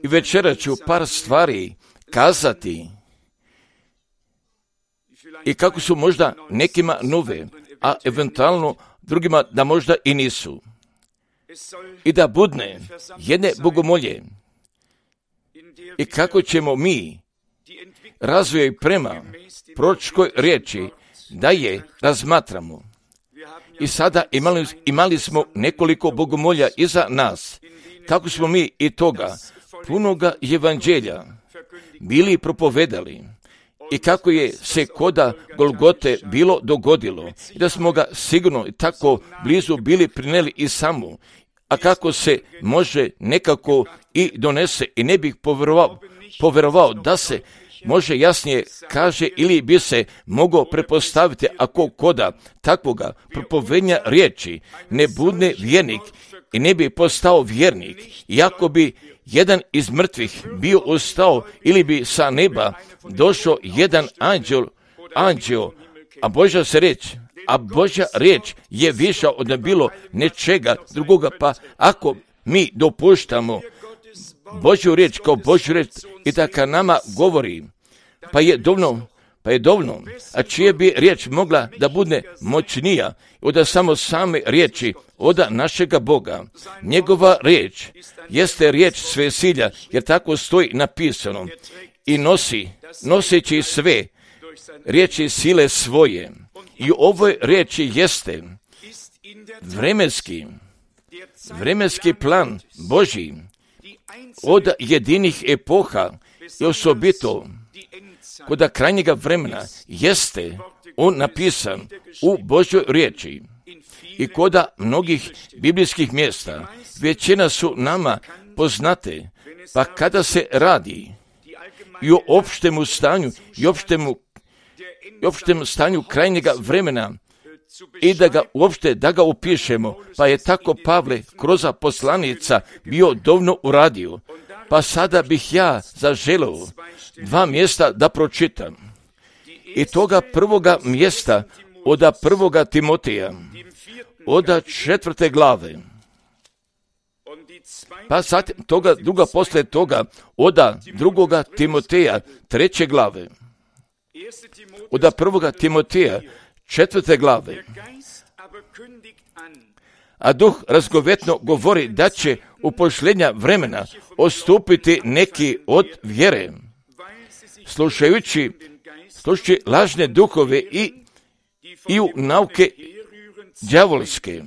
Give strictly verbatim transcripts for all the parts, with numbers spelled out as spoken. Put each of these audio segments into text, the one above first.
I večera ću par stvari kazati i kako su možda nekima nove, a eventualno drugima da možda i nisu. I da budne jedne bogomolje i kako ćemo mi razvoj prema proročkoj riječi da je razmatramo. I sada imali, imali smo nekoliko bogomolja iza nas, kako smo mi i toga punoga evanđelja bili propovedali i kako je se koda Golgote bilo dogodilo i da smo ga sigurno i tako blizu bili prineli i samo, a kako se može nekako i donese i ne bih povjerovao, povjerovao da se može jasnije kaže ili bi se mogao prepostaviti ako koda takvoga propovednja riječi ne budne vjernik i ne bi postao vjernik, iako bi jedan iz mrtvih bio ustao ili bi sa neba došao jedan anđel, anđeo, a Božja se riječ, a Božja riječ je viša od bilo nečega drugoga, pa ako mi dopuštamo Božju riječ kao Božju riječ i da ka nama govori, pa je dovoljno, pa je dovoljno, a čije bi riječ mogla da bude moćnija od samo same riječi od našega Boga. Njegova riječ jeste riječ svesilja, jer tako stoji napisano, i nosi, noseći sve riječi sile svoje. I ovoj riječi jeste vremenski, vremenski plan Božji od jedinih epoha i osobito kod krajnjega vremena jeste on napisan u Božjoj riječi i kod mnogih biblijskih mjesta. Većina su nama poznate, pa kada se radi i o opštemu stanju i opštemu, i opštemu stanju krajnjega vremena i da ga uopšte da ga upišemo, pa je tako Pavle kroz poslanica bio dovoljno uradio. Pa sada bih ja zaželeo dva mjesta da pročitam. I toga prvoga mjesta od prvoga Timoteja, od četvrte glave. Pa sad toga druga posle toga od drugoga Timoteja, treće glave. Od prvoga Timoteja, četvrte glave. A duh razgovetno govori da će u posljednja vremena odstupiti neki od vjere, slušajući, slušajući lažne duhove i, i u nauke đavolske.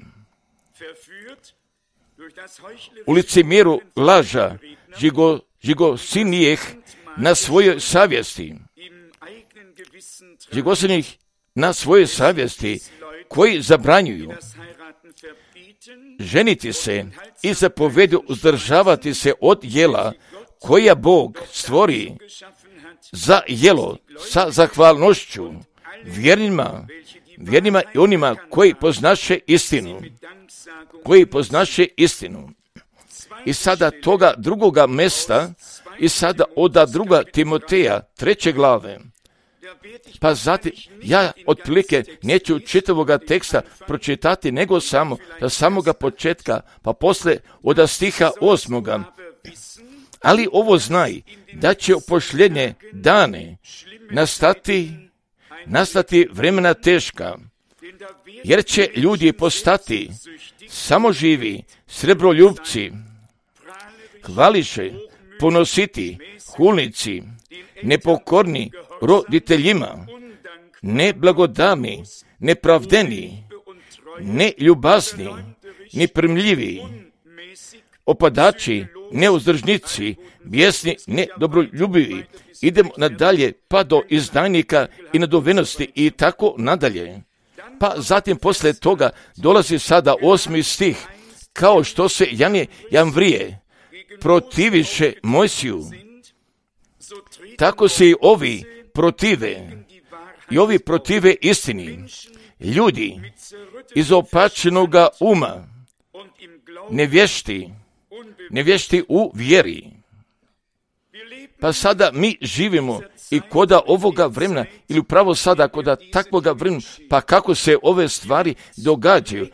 U licemjeru laža žigo, žigosinijeh na svojoj savjesti, žigosinijeh na svojoj savjesti, koji zabranjuju ženiti se i zapovedu uzdržavati se od jela koja Bog stvori za jelo sa zahvalnošću vjernima, vjernima i onima koji poznaše istinu, koji poznaše istinu. I sada toga drugoga mesta, i sada od druga Timoteja, treće glave, pa zatim, ja otprilike neću čitavoga teksta pročitati, nego samo da samoga početka, pa posle od stiha osmoga. Ali ovo znaj, da će u posljednje dane nastati, nastati vremena teška, jer će ljudi postati samoživi, srebroljubci, hvališe, ponositi, hulnici, nepokorni roditeljima, neblagodarni, nepravdeni, neljubazni, neprimljivi, opadači, neuzdržnici, bijesni, nedobroljubivi. Idemo nadalje pa do izdajnika i nadovenosti i tako nadalje. Pa zatim posle toga dolazi sada osmi stih, kao što se Janje Jamvrije protiviše Mojsiju, tako se i ovi protive, i ovi protive istini. Ljudi izopačenoga uma, nevješti, nevješti u vjeri. Pa sada mi živimo i koda ovoga vremena, ili upravo sada koda takvoga vremena, pa kako se ove stvari događaju.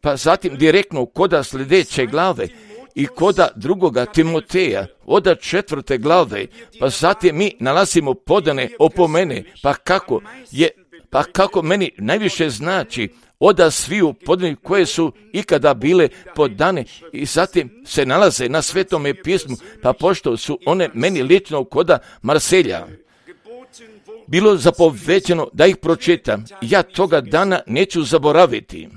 Pa zatim direktno koda sljedeće glave, i koda drugoga Timoteja, oda četvrte glave, pa zatim mi nalazimo podane opomene, pa kako je, pa kako meni najviše znači oda sviju podane koje su ikada bile podane i zatim se nalaze na Svetome pismu, pa pošto su one meni lično koda Marselja bilo zapovećeno da ih pročitam, ja toga dana neću zaboraviti.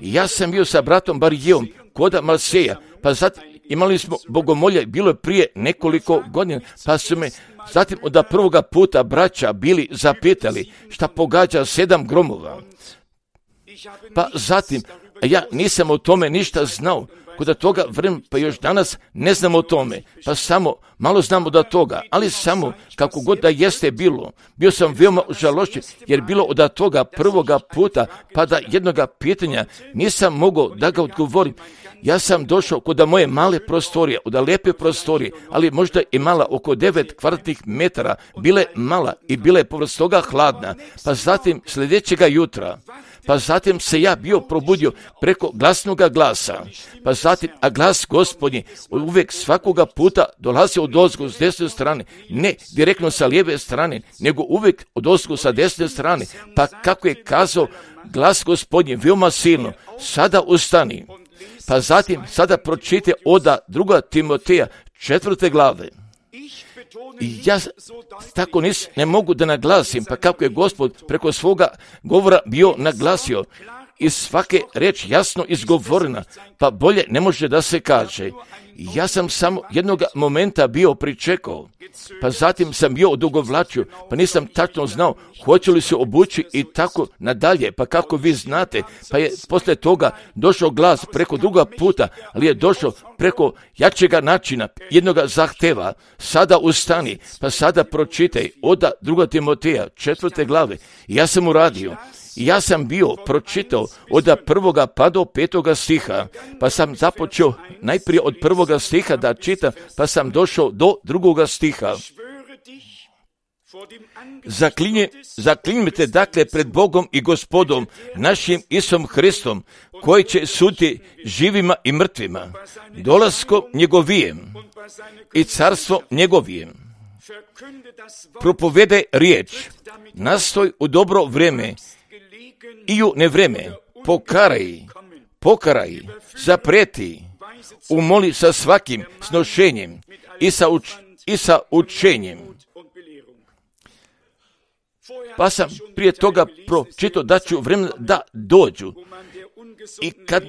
Ja sam bio sa bratom Barijevom koda Marseja, pa zatim imali smo bogomolje, bilo je prije nekoliko godina, pa su me zatim od prvoga puta braća bili zapitali šta pogađa sedam gromova. Pa zatim, ja nisam o tome ništa znao, kod toga vremena, pa još danas ne znam o tome, pa samo malo znam od toga, ali samo kako god da jeste bilo, bio sam veoma žalošćen, jer bilo od toga prvoga puta, pa da jednoga pitanja nisam mogao da ga odgovorim. Ja sam došao kod moje male prostorije, od lijepe prostorije, ali možda i mala, oko devet kvadratnih metara, bile mala i bile je povrst toga hladna, pa zatim sljedećega jutra, pa zatim se ja bio probudio preko glasnoga glasa, pa zatim, a glas Gospodnji uvijek svakoga puta dolazi od ozgo s desne strane, ne direktno sa lijeve strane, nego uvijek od ozgo sa desne strane, pa kako je kazao glas Gospodnji veoma silno, sada ustani, pa zatim sada pročite oda druga Timoteja četvrte glave. I ja tako nis, ne mogu da naglasim, pa kako je Gospod preko svoga govora bio naglasio i svake reč jasno izgovorena, pa bolje ne može da se kaže. Ja sam samo jednog momenta bio pričekao, pa zatim sam bio odugovlačio, pa nisam tačno znao hoće li se obući i tako nadalje, pa kako vi znate, pa je poslije toga došao glas preko druga puta, ali je došao preko jačega načina, jednoga zahteva, sada ustani, pa sada pročitaj oda druga Timoteja četvrte glave. I ja sam uradio. I ja sam bio pročitao od prvoga pa do petoga stiha, pa sam započeo najprije od prvoga stiha da čitam, pa sam došao do drugoga stiha. Zaklinje, zaklinjite dakle pred Bogom i Gospodom, našim Isom Hristom, koji će suditi živima i mrtvima, dolaskom njegovijem i carstvo njegovijem. Propovede riječ, nastoj u dobro vrijeme, i u nevreme, pokaraj, pokaraj, zapreti, umoli sa svakim snošenjem i sa, uč, i sa učenjem. Pa sam prije toga pročitao da ću vremena da dođu i kad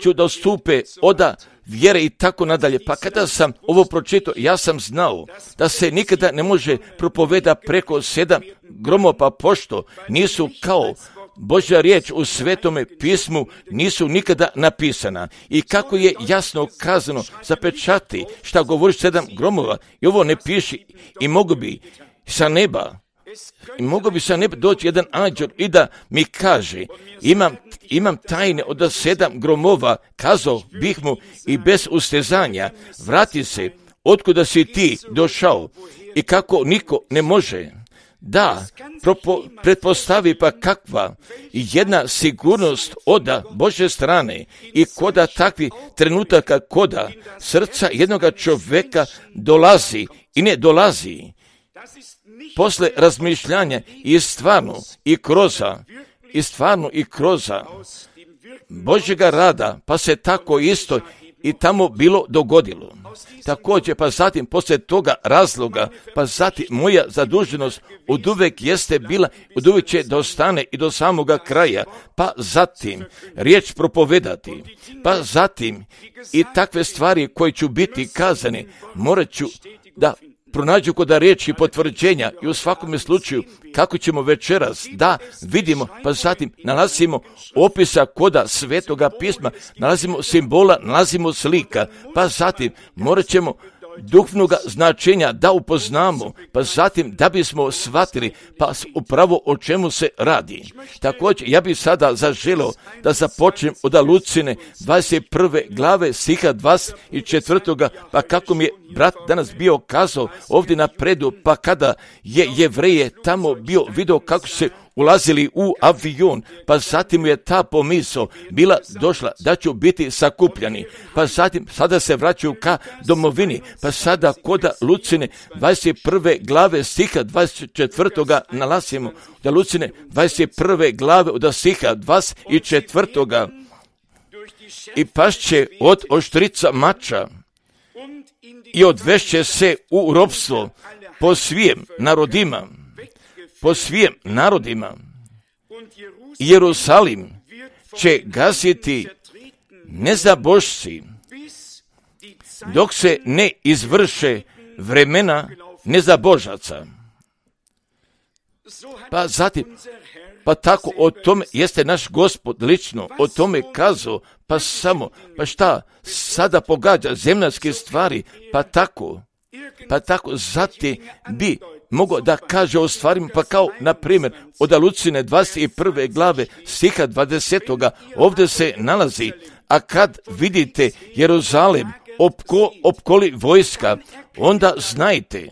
ću da stupe oda vjere i tako nadalje. Pa kada sam ovo pročitao, ja sam znao da se nikada ne može propoveda preko sedam gromova, pa pošto nisu kao Božja riječ u Svetome pismu nisu nikada napisana. I kako je jasno kazano, zapečati šta govoriš sedam gromova, i ovo ne piši, i mogu bi sa neba, i mogu bi sa neba doći jedan anđel i da mi kaže, imam, imam tajne od sedam gromova, kazao bih mu i bez ustezanja, vrati se, otkuda si ti došao, i kako niko ne može. Da, propo, pretpostavi pa kakva jedna sigurnost oda Božje strane i koda takvi trenutaka koda srca jednoga čovjeka dolazi i ne dolazi posle razmišljanja i stvarno i kroza i stvarno i kroza Božjega rada, pa se tako isto i tamo bilo dogodilo. Također, pa zatim poslije toga razloga, pa zatim moja zaduženost od uvek jeste bila, od uvek će da ostane i do samoga kraja, pa zatim riječ propovedati, pa zatim i takve stvari koje ću biti kazane, morat ću da pronađu kod riječi potvrđenja i u svakome slučaju kako ćemo večeras da vidimo, pa zatim nalazimo opisa koda Svetoga pisma, nalazimo simbola, nalazimo slika, pa zatim morat ćemo duhovnoga značenja da upoznamo, pa zatim da bismo shvatili pa upravo o čemu se radi. Također, ja bih sada zaželio da započnem od Lucine dvadeset prve glave stiha dvadeset četvrtoga pa kako mi je brat danas bio kazao ovdje napredu, pa kada je Jevreje tamo bio video kako se ulazili u avion, pa zatim je ta pomisao bila došla da ću biti sakupljani, pa zatim sada se vraćaju ka domovini, pa sada koda Lucine dvadeset prve glave stiha dvadeset četvrtoga nalazimo, da Lucine dvadeset prve glave od stiha dvadeset četvrtoga i pašće od oštrica mača i odvešće se u ropstvo po svijem narodima, po svijem narodima. Jerusalim će gasiti nezabošci dok se ne izvrše vremena nezabožaca. Pa zatim, pa tako o tome jeste naš Gospod lično o tome kazao, pa samo, pa šta sada pogađa zemaljske stvari, pa tako, pa tako zatim bi mogao da kaže o stvarima, pa kao, na primjer, od Lucine dvadeset prve glave stiha dvadesetoga ovdje se nalazi, a kad vidite Jeruzalem opko, opkoli vojska, onda znajte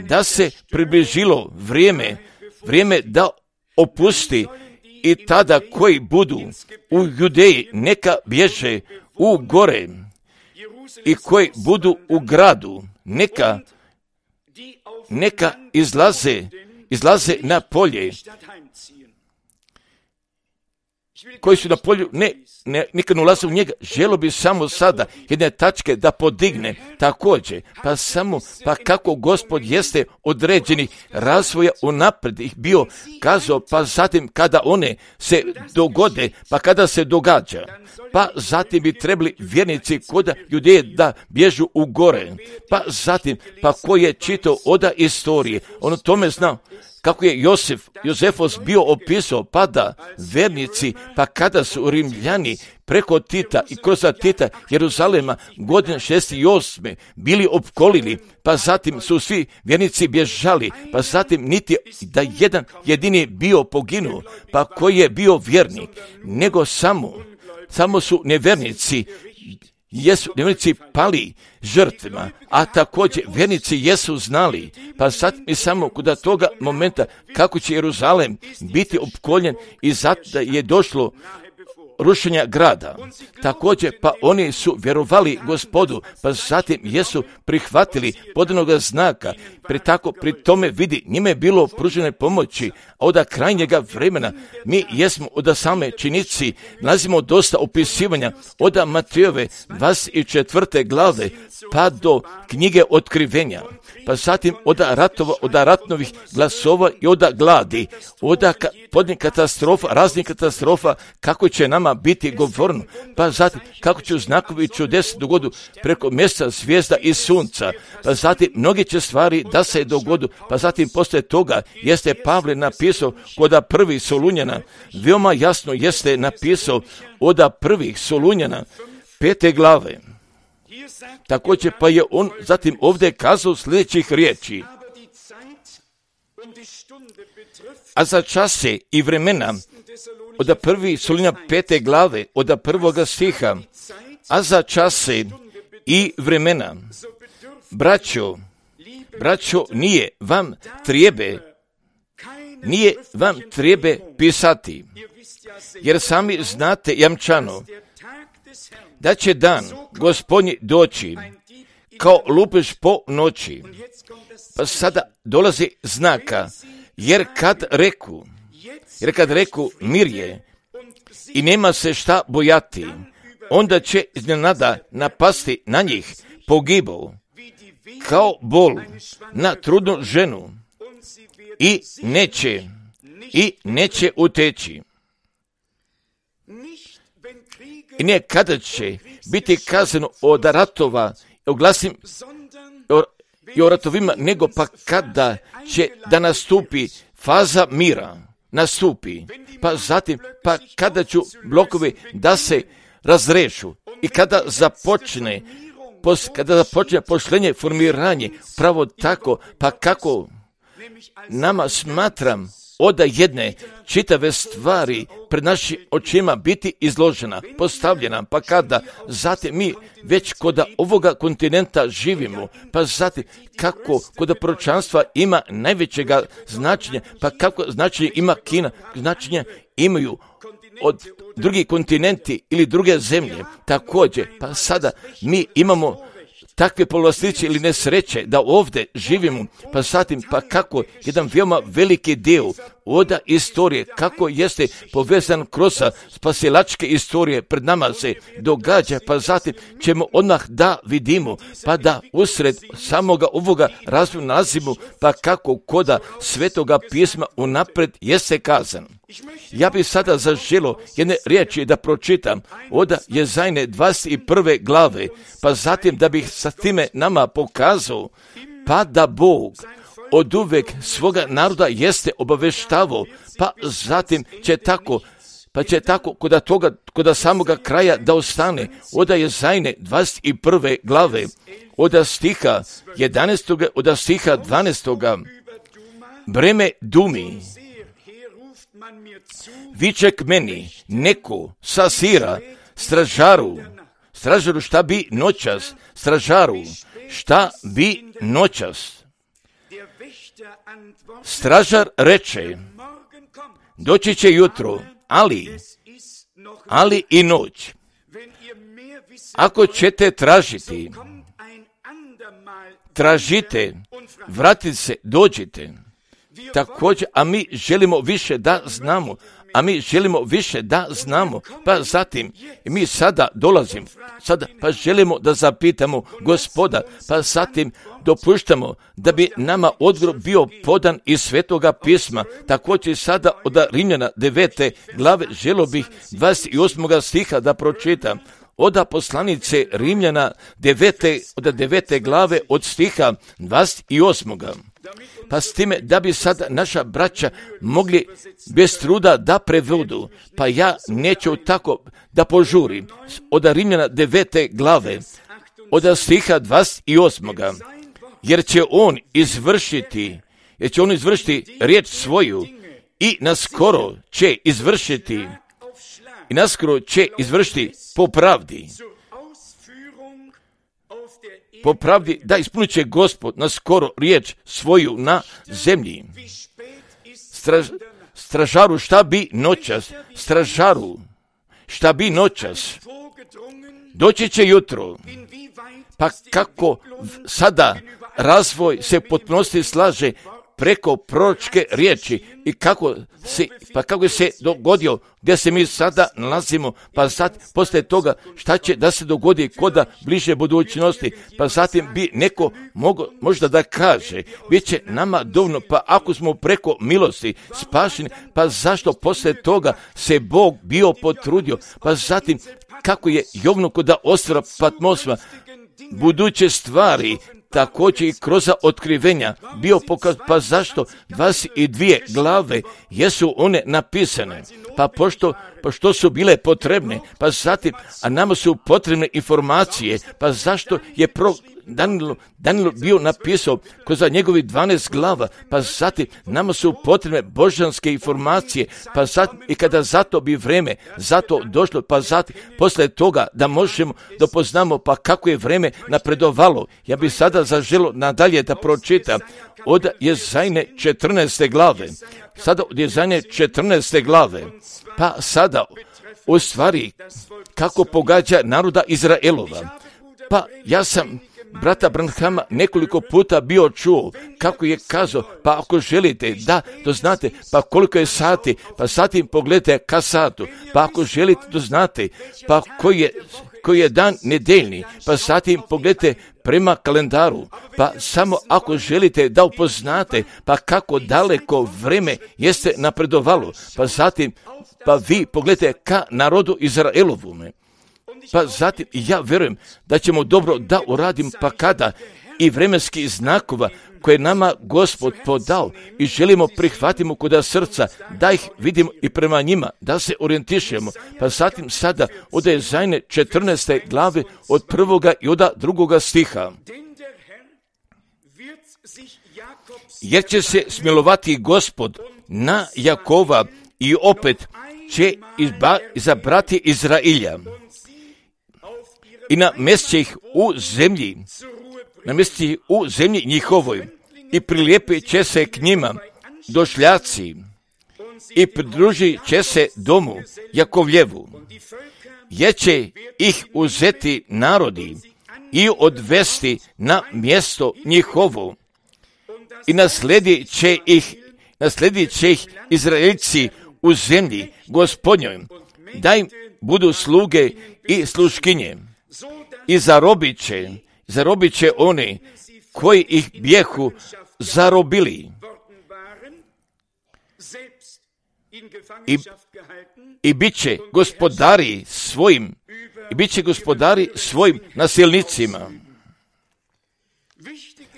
da se približilo vrijeme, vrijeme da opusti i tada koji budu u Judeji neka bježe u gore i koji budu u gradu neka neka izlaze, izlaze na polje. Koji su na polju, ne, ne nikad ne ulaze u njega, želo bi samo sada jedne tačke da podigne također, pa samo, pa kako Gospod jeste određeni razvoja unaprijed ih bio kazao, pa zatim kada one se dogode, pa kada se događa, pa zatim bi trebali vjernici koda Judeje da bježu u gore, pa zatim, pa ko je čitao oda istorije, on o tome znao, kako je Josef, Jozefos bio opisao, pa da vernici, pa kada su Rimljani preko Tita i kroz Tita Jeruzalema godine šezdeset osme bili opkolili, pa zatim su svi vjernici bježali, pa zatim niti da jedan jedini bio poginuo, pa koji je bio vjernik, nego samo, samo su nevjernici, jesu nevjernici pali žrtvima, a također vjernici jesu znali, pa sad mi samo kod toga momenta kako će Jeruzalem biti opkoljen i zato je došlo rušenja grada. Također, pa oni su vjerovali Gospodu, pa zatim jesu prihvatili podanoga znaka, pri tako pri tome vidi, njime je bilo pružene pomoći, a od krajnjega vremena mi jesmo od same činici, nalazimo dosta opisivanja od Matejove dvadeset četvrte glave, pa do knjige Otkrivenja, pa zatim od ratova, od ratnovih glasova i od gladi, od podnje katastrofa, raznih katastrofa, kako će nama biti govorno, pa zatim kako će znakovi čudes dogodu preko mjesta zvijezda i sunca, pa zatim mnogi će stvari da se dogodu, pa zatim poslije toga jeste Pavle napisao kod prvih Solunjana, veoma jasno jeste napisao od prvih Solunjana pete glave. Također pa je on zatim ovdje kazao sljedećih riječi: a za čase i vremena od prvih Solunjana pete glave od prvoga stiha, a za čase i vremena, braćo, braćo, nije vam trijebe, nije vam trijebe pisati, jer sami znate jamčano da će dan Gospodnji doći kao lupež po noći. Pa sada dolazi znaka, jer kad reku, jer kad reku mir je i nema se šta bojati, onda će iznenada napasti na njih pogibao, kao bol na trudnu ženu, i neće, i neće uteći. I ne kada će biti kazano od ratova, oglasim i o ratovima, nego pa kada će da nastupi faza mira, nastupi, pa zatim, pa kada ću blokovi da se razrešu i kada započne, pos, kada započne pošlenje, formiranje, pravo tako, pa kako nama smatram oda jedne čitave stvari pred našim očima biti izložena, postavljena, pa kada zatim mi već kod ovoga kontinenta živimo, pa zatim kako kod proročanstva ima najvećega značenja, pa kako značenje ima Kina, značenje imaju od drugi kontinenti ili druge zemlje, također, pa sada mi imamo takve povlastice ili nesreće da ovdje živimo, pa zatim, pa kako jedan veoma veliki dio oda istorije, kako jeste povezan kroz spasilačke istorije pred nama se događa, pa zatim ćemo odmah da vidimo, pa da usred samoga ovoga razvoja nalazimo, pa kako koda Svetoga pisma unapred jeste kazan. Ja bih sada zaželio jedne riječi da pročitam od Jezajne dvadeset prve glave, pa zatim da bih sa time nama pokazao, pa da Bog od uvek svoga naroda jeste obaveštavao, pa zatim će tako, pa će tako kod toga, kod samoga kraja da ostane od Jezajne dvadeset prve glave, od stiha jedanaestog, od stiha dvanaestog. Breme Dumi, viče k meni neko sa Sira, stražaru, stražaru šta bi noćas, stražaru šta bi noćas. Stražar reče, doći će jutro, ali, ali i noć. Ako ćete tražiti, tražite, vratite se, dođite. Također, a mi želimo više da znamo, a mi želimo više da znamo, pa zatim mi sada dolazimo, sada pa želimo da zapitamo Gospoda, pa zatim dopuštamo da bi nama odgovor bio podan iz Svetoga pisma. Također sada od Rimljana devete glave želio bih dvadeset osmog stiha da pročitam. Oda poslanice Rimljana devete, od devete glave od stiha dvadeset osmog. Pa s time da bi sad naša braća mogli bez truda da prevodu, pa ja neću tako da požurim. Od Rimljana devete glave, od stiha dvadeset osmog. Jer će on izvršiti, jer će on izvršiti riječ svoju i naskoro će izvršiti, i naskoro će izvršiti po pravdi. Po pravdi da ispunit će Gospod na skoro riječ svoju na zemlji. Straž, stražaru šta bi noćas, stražaru šta bi noćas, doći će jutro. Pa kako sada razvoj se potpunosti slaže preko proročke riječi i kako se, pa kako se dogodio gdje se mi sada nalazimo, pa sad poslije toga šta će da se dogodi koda bliže budućnosti, pa zatim bi neko mogo, možda da kaže, bit će nama dovoljno, pa ako smo preko milosti spašeni, pa zašto poslije toga se Bog bio potrudio, pa zatim kako je Jovnu koda ostvara Patmosma, buduće stvari, također i kroz otkrivenja bio pokaz, pa zašto dvadeset dvije glave jesu one napisane, pa pošto, pošto su bile potrebne, pa zatim, a nama su potrebne informacije, pa zašto je pro Danilo, Danilo bio napisao kroz njegovi dvanaest glava, pa zatim nama su potrebne božanske informacije, pa zatim i kada zato bi vreme zato došlo, pa zatim posle toga da možemo da poznamo pa kako je vreme napredovalo. Ja bih sada zaželio nadalje da pročitam od Jezajne četrnaeste glave, sada od Jezajne četrnaeste glave, pa sada u stvari kako pogađa naroda Izraelova. Pa ja sam brata Branhama nekoliko puta bio čuo kako je kazao, pa ako želite da to znate, pa koliko je sati, pa sati pogledajte ka satu, pa ako želite to znate, pa koji je, koji je dan nedeljni, pa zatim pogledajte prema kalendaru, pa samo ako želite da upoznate, pa kako daleko vreme jeste napredovalo, pa zatim, pa vi pogledajte ka narodu Izraelovume. Pa zatim ja vjerujem da ćemo dobro da uradim, pa kada i vremenski znakova koje nama Gospod podao i želimo prihvatimo kod srca, da ih vidimo i prema njima, da se orijentišemo. Pa zatim sada od Jezajne četrnaeste glave od prvoga i od drugoga stiha. jer će se smilovati Gospod na Jakova i opet će izba, izabrati Izrailja i namjestit će ih u zemlji, namjestit će ih u zemlji njihovoj i prilijepit će se k njima došljaci i pridružit će se domu Jakovljevu, jer će ih uzeti narodi i odvesti na mjesto njihovo i nasledit će ih, nasledit će ih Izraelci u zemlji Gospodnjoj, da im budu sluge i sluškinje i zarobit će, zarobit će oni koji ih bijehu zarobili i, i bit će gospodari svojim i bit će gospodari svojim nasilnicima.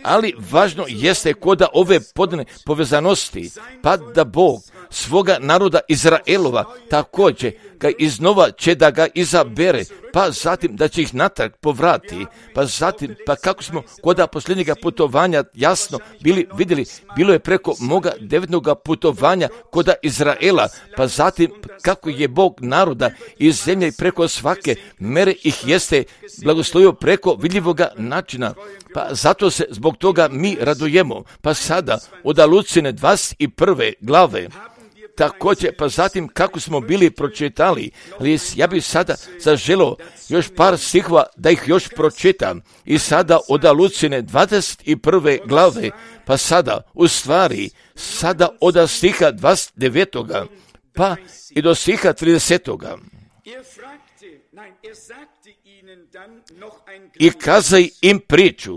Ali važno jeste koda ove podne povezanosti, pa da Bog svoga naroda Izraelova također ga iznova će da ga izabere, pa zatim da će ih natrag povrati, pa zatim, pa kako smo koda posljednjega putovanja jasno bili vidjeli, bilo je preko moga devetnoga putovanja koda Izraela, pa zatim kako je Bog naroda iz zemlje i preko svake mere ih jeste blagoslovio preko vidljivoga načina, pa zato se zbog toga mi radujemo, pa sada od Lucijine dvadeset prve glave, također, pa zatim kako smo bili pročitali, ali ja bih sada zaželio još par stihova da ih još pročitam. I sada od Lucijine dvadeset prve glave, pa sada u stvari, sada od stiha dvadeset devetoga pa i do stiha tridesetoga I kazaj im priču,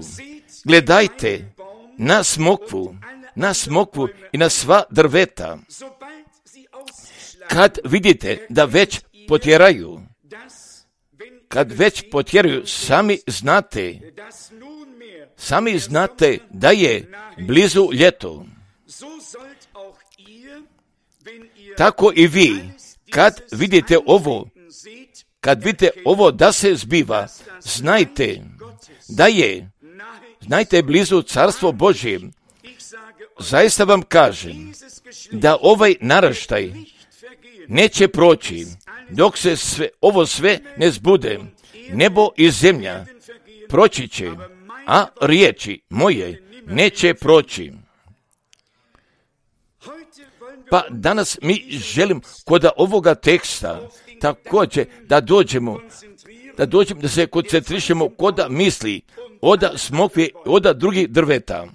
gledajte na smokvu, na smokvu i na sva drveta. Kad vidite da već potjeraju, kad već potjeraju, sami znate, sami znate da je blizu ljeto. Tako i vi, kad vidite ovo, kad vidite ovo da se zbiva, znajte da je, znajte blizu Carstvo Božje. Zaista vam kažem da ovaj naraštaj neće proći dok se sve, ovo sve ne zbude. Nebo i zemlja proći će, a riječi moje neće proći. Pa danas mi želim kod ovoga teksta također da dođemo, da dođemo da se koncentrišemo kod misli od smokve, od drugih drveta.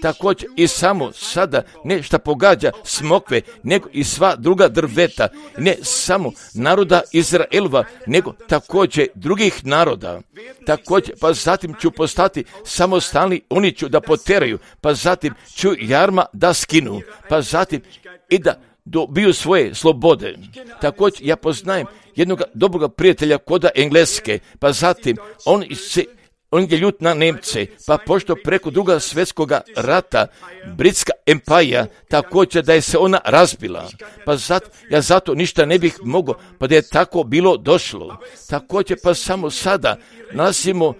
Također i samo sada ne šta pogađa smokve, nego i sva druga drveta, ne samo naroda Izraelova, nego također drugih naroda. Također, pa zatim ću postati samostalni, oni ću da poteraju, pa zatim ću jarma da skinu, pa zatim i da dobiju svoje slobode. Također ja poznajem jednog dobrog prijatelja koda Engleske, pa zatim on se On je ljut na Nemce, pa pošto preko druga svjetskoga rata Britska empire također da je se ona razbila, pa zato, ja zato ništa ne bih mogao, pa da je tako bilo došlo. Također pa samo sada nalazimo,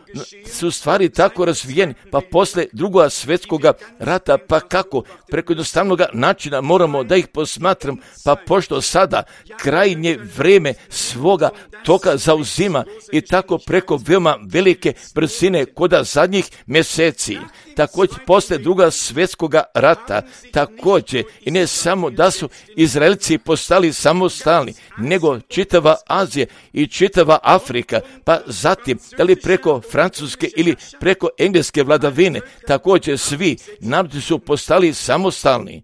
su stvari tako razvijeni, pa posle drugoga svjetskoga rata, pa kako preko jednostavnog načina moramo da ih posmatram, pa pošto sada krajnje vrijeme svoga toka zauzima i tako preko veoma velike brzine koda zadnjih mjeseci. Također posle druga svjetskoga rata, također i ne samo da su Izraelci postali samostalni, nego čitava Azija i čitava Afrika, pa zatim da li preko Francuske ili preko Engleske vladavine, također svi narodi su postali samostalni.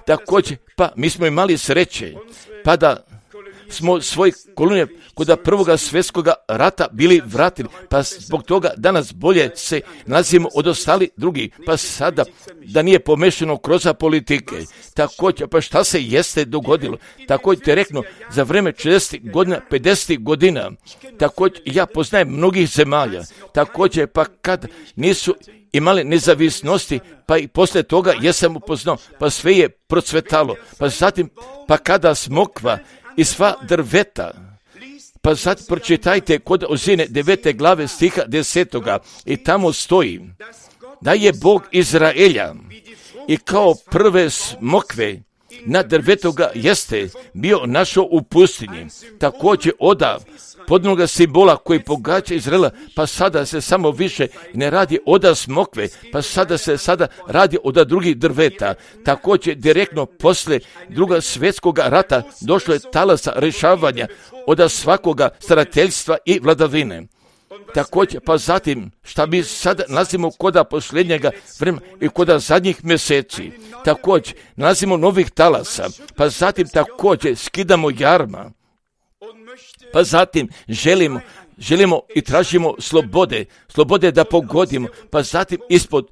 Također, pa mi smo imali sreće, pa da smo svoj kolonije kod prvoga svjetskoga rata bili vratili, pa zbog toga danas bolje se nalazimo od ostali drugi, pa sada da nije pomešano kroz politike. Također, pa šta se jeste dogodilo? Također te reknu, za vreme četrdesetih godina, pedesetih godina, također ja poznajem mnogih zemalja, također pa kad nisu imali nezavisnosti, pa i poslije toga jesam upoznao, pa sve je procvetalo, pa zatim, pa kada smokva i sva drveta, pa sad pročitajte kod Ozine devete glave stiha desetoga i tamo stoji da je Bog Izraelja i kao prve smokve na drvetoga jeste bio našao u pustinji. Također oda podnoga simbola koji pogađa Izraela, pa sada se samo više ne radi oda smokve, pa sada se sada radi oda drugih drveta. Također direktno posle druga svjetskog rata došlo je talasa rješavanja oda svakoga starateljstva i vladavine. Također, pa zatim, šta mi sada nalazimo koda posljednjega vremena i koda zadnjih mjeseci, također, nalazimo novih talasa, pa zatim također skidamo jarma, pa zatim želimo, želimo i tražimo slobode, slobode da pogodimo, pa zatim ispod,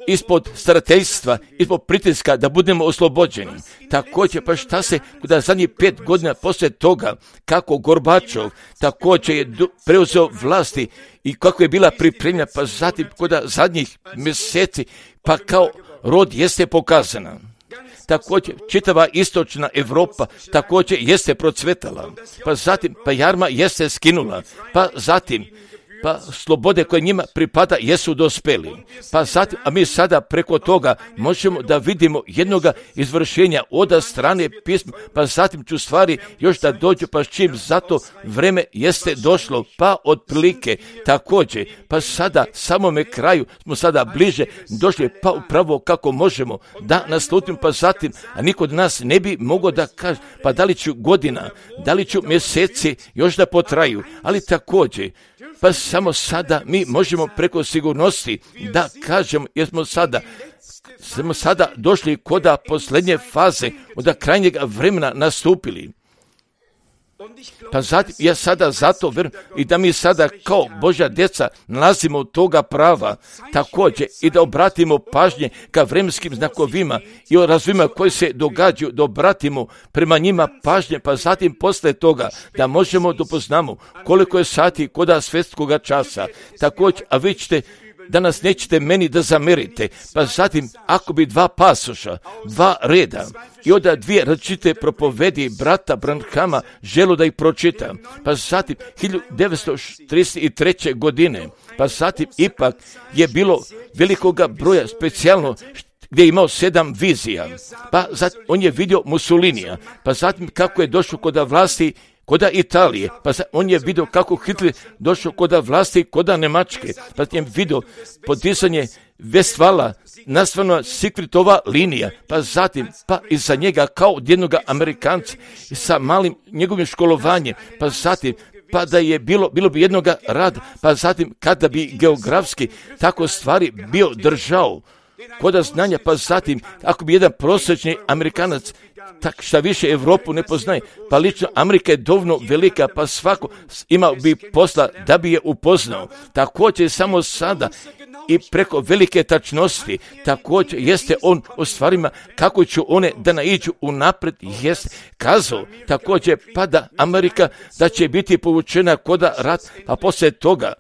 ispod starateljstva, ispod pritiska da budemo oslobođeni. Također, pa šta se kuda zadnjih pet godina poslije toga, kako Gorbačov također je preuzeo vlasti i kako je bila pripremljena, pa zatim kuda zadnjih mjeseci, pa kao rod jeste pokazana. Također, čitava istočna Europa također jeste procvetala, pa zatim, pa jarma jeste skinula, pa zatim, pa slobode koje njima pripada jesu dospeli. Pa zatim, a mi sada preko toga možemo da vidimo jednoga izvršenja oda strane pisma, pa zatim ću stvari još da dođu, pa s čim zato vreme jeste došlo, pa otprilike također, pa sada samome kraju smo sada bliže došli, pa upravo kako možemo da naslutimo, pa zatim, a niko od nas ne bi mogao da kaže, pa da li ću godina, da li ću mjeseci još da potraju, ali također, pa samo sada mi možemo preko sigurnosti da kažemo, jer smo sada, smo sada došli koda posljednje faze, od krajnjeg vremena nastupili. Pa zatim, ja sada zato verujem i da mi sada kao Božja djeca nalazimo toga prava, također i da obratimo pažnje ka vremenskim znakovima i o razvojima koji se događaju, da obratimo prema njima pažnje, pa zatim posle toga da možemo da upoznamo koliko je sati koda svjetskoga časa. Također, a vi ćete danas nećete meni da zamerite, pa zatim ako bi dva pasoša, dva reda i onda dvije različite propovedi brata Branhama želo da ih pročitam, pa zatim hiljadu devetsto trideset treće godine, pa zatim ipak je bilo velikoga broja specijalno gdje je imao sedam vizija, pa zatim on je vidio Mussolinija, pa zatim kako je došao kod vlasti koda Italije, pa on je vidio kako Hitler došao koda vlasti koda Njemačke, pa je vidio podizanje Vestvala, nastavno Sikritova linija, pa zatim, pa iza njega kao od jednog Amerikanca sa malim njegovim školovanjem, pa zatim, pa da je bilo, bilo bi jednoga rada, pa zatim kada bi geografski tako stvari bio držao koda znanja, pa zatim ako bi jedan prosječni Amerikanac tak šta više Europu ne poznaje, pa lično Amerika je dovoljno velika, pa svako imao bi posla da bi je upoznao. Također samo sada i preko velike tačnosti, također jeste on o stvarima kako će one da naiđu unapred, jeste kazao, također pa da Amerika da će biti povučena koda rat, pa poslije toga,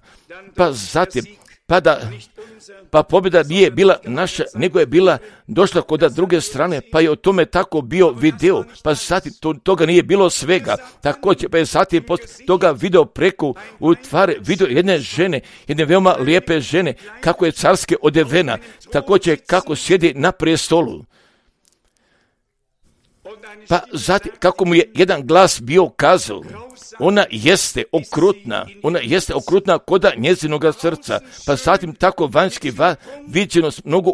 pa zatim, pa da pa pobjeda nije bila naša, nego je bila došla kod druge strane, pa je o tome tako bio video, pa zatim to, toga nije bilo svega, također pa je zatim poslije toga video preko u tvare, video jedne žene, jedne veoma lijepe žene, kako je carske odevena, također kako sjedi na prestolu. Pa zatim kako mu je jedan glas bio kazao, ona jeste okrutna, ona jeste okrutna koda njezinoga srca, pa zatim tako vanjski va, viđenost mnogo,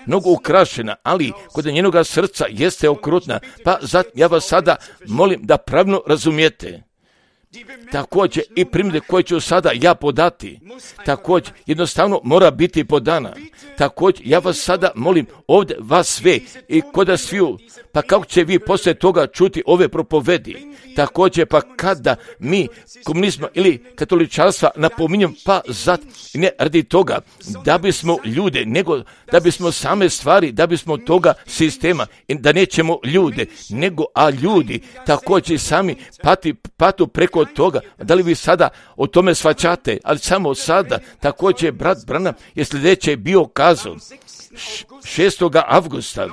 mnogo ukrašena, ali koda njenoga srca jeste okrutna, pa zatim ja vas sada molim da pravilno razumijete. Također i primjere koje ću sada ja podati, također jednostavno mora biti podana. Također ja vas sada molim ovdje vas sve i koda sviju, pa kako će vi poslije toga čuti ove propovedi. Također pa kada mi komunizma ili katoličanstva napominjem, pa zat ne radi toga da bismo ljude, nego da bismo same stvari, da bismo toga sistema, da nećemo ljude, nego a ljudi također sami pati, patu preko toga. Da li vi sada o tome shvaćate? Ali samo sada, također brat Branham je sljedeće bio kazao šestog avgusta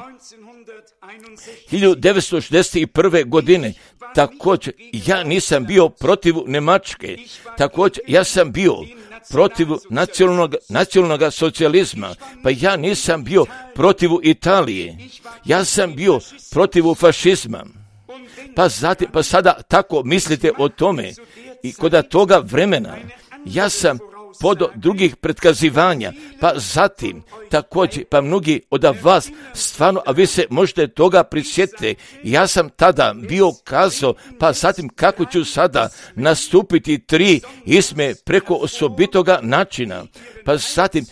hiljadu devetsto šezdeset prve. godine, također, ja nisam bio protiv Njemačke, također, ja sam bio protiv nacionalnog, nacionalnog socijalizma, pa ja nisam bio protiv Italije, ja sam bio protiv fašizma. Pa, zatim, pa sada tako mislite o tome i kod toga vremena ja sam pod drugih pretkazivanja, pa zatim također, pa mnogi od vas stvarno, a vi se možete toga prisjetiti, ja sam tada bio kazao, pa zatim kako ću sada nastupiti tri isme preko osobitoga načina, pa zatim,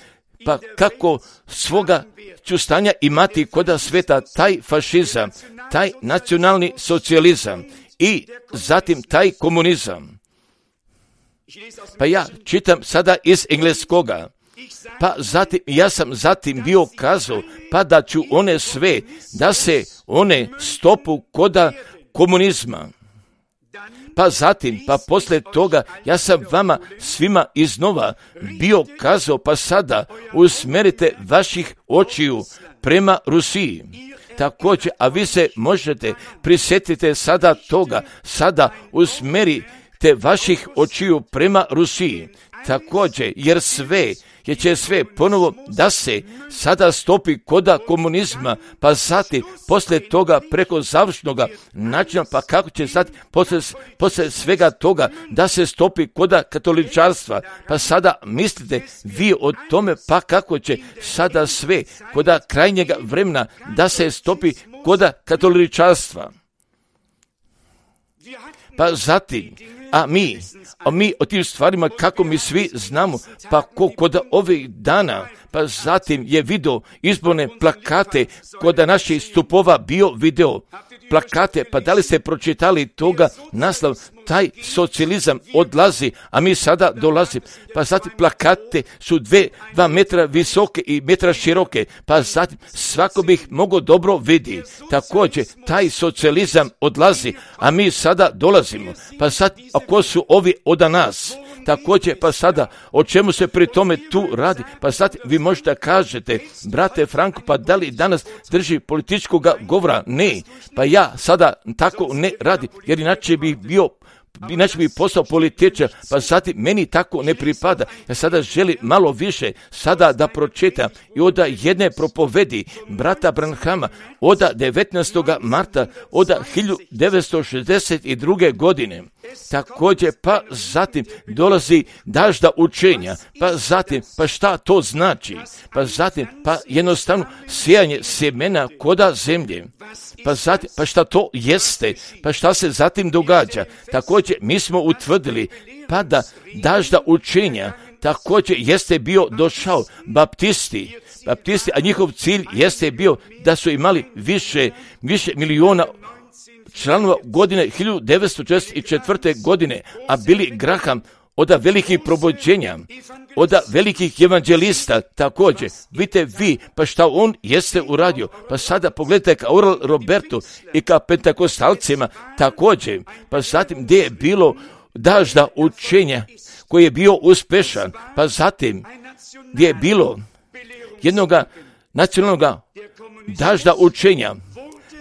pa kako svoga ću stanja imati koda sveta taj fašizam, taj nacionalni socijalizam i zatim taj komunizam. Pa ja čitam sada iz engleskoga, pa zatim, ja sam zatim bio kazao, pa da ću one sve, da se one stopu koda komunizma. Pa zatim, pa poslije toga, ja sam vama svima iznova bio kazao, pa sada usmerite vaših očiju prema Rusiji. Također, a vi se možete prisjetiti sada toga, sada usmerite te vaših očiju prema Rusiji, također, jer sve, jer će sve ponovo da se sada stopi koda komunizma, pa zatim, poslije toga, preko završnoga načina, pa kako će sad, poslije, poslije svega toga, da se stopi koda katoličarstva, pa sada mislite vi o tome, pa kako će sada sve, koda krajnjega vremena, da se stopi koda katoličarstva. Pa zatim, a mi, a mi o tim stvarima kako mi svi znamo, pa ko kod ovih dana, pa zatim je video izborne plakate kod naših stupova bio video plakate, pa da li ste pročitali toga naslov, taj socijalizam odlazi, a mi sada dolazimo. Pa zatim plakate su dve, dva metra visoke i metra široke, pa zatim svako bi ih mogao dobro vidi. Također, taj socijalizam odlazi, a mi sada dolazimo. Pa sad, ako su ovi od nas, također, pa sada, o čemu se pri tome tu radi? Pa sad vi možete kažete, brate Franko, pa da li danas drži političkog govora? Ne, pa ja sada tako ne radi, jer inače bih bio inače bi postao političar, pa zatim meni tako ne pripada. Ja sada želim malo više sada da pročitam i od jedne propovedi brata Branhama od devetnaestog marta od hiljadu devetsto šezdeset druge. godine. Također, pa zatim dolazi dažda učenja, pa zatim, pa šta to znači? Pa zatim, pa jednostavno sijanje sjemena koda zemlje. Pa zatim, pa šta to jeste? Pa šta se zatim događa? Također, mi smo utvrdili, pa da dažda učenja također jeste bio došao baptisti, baptisti, a njihov cilj jeste bio da su imali više, više miliona članova godine hiljadu devetsto četrdeset četvrte. godine, a Billy Graham od velikih probuđenja, od velikih evanđelista također. Vidite vi, pa šta on jeste uradio, pa sada pogledajte ka Oral Robertu i ka pentakostalcima također, pa zatim gdje je bilo dažda učenja koji je bio uspešan, pa zatim gdje je bilo jednoga nacionalnog dažda učenja,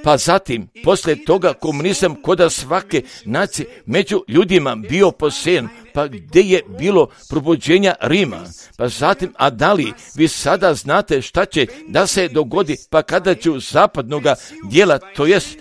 pa zatim, poslije toga komunizam koda svake nacije među ljudima bio posejan, pa gdje je bilo probuđenja Rima, pa zatim, a da li vi sada znate šta će da se dogodi, pa kada će u zapadnoga dijela, to jest,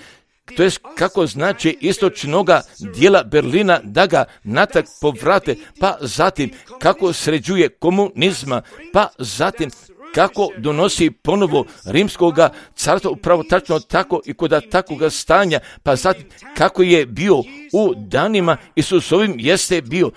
to jest kako znači istočnoga dijela Berlina da ga natak povrate, pa zatim kako sređuje komunizma, pa zatim kako donosi ponovo rimskoga carstva, upravo tačno tako i kod takvoga stanja, pa zatim kako je bio u danima Isusovim jeste bio,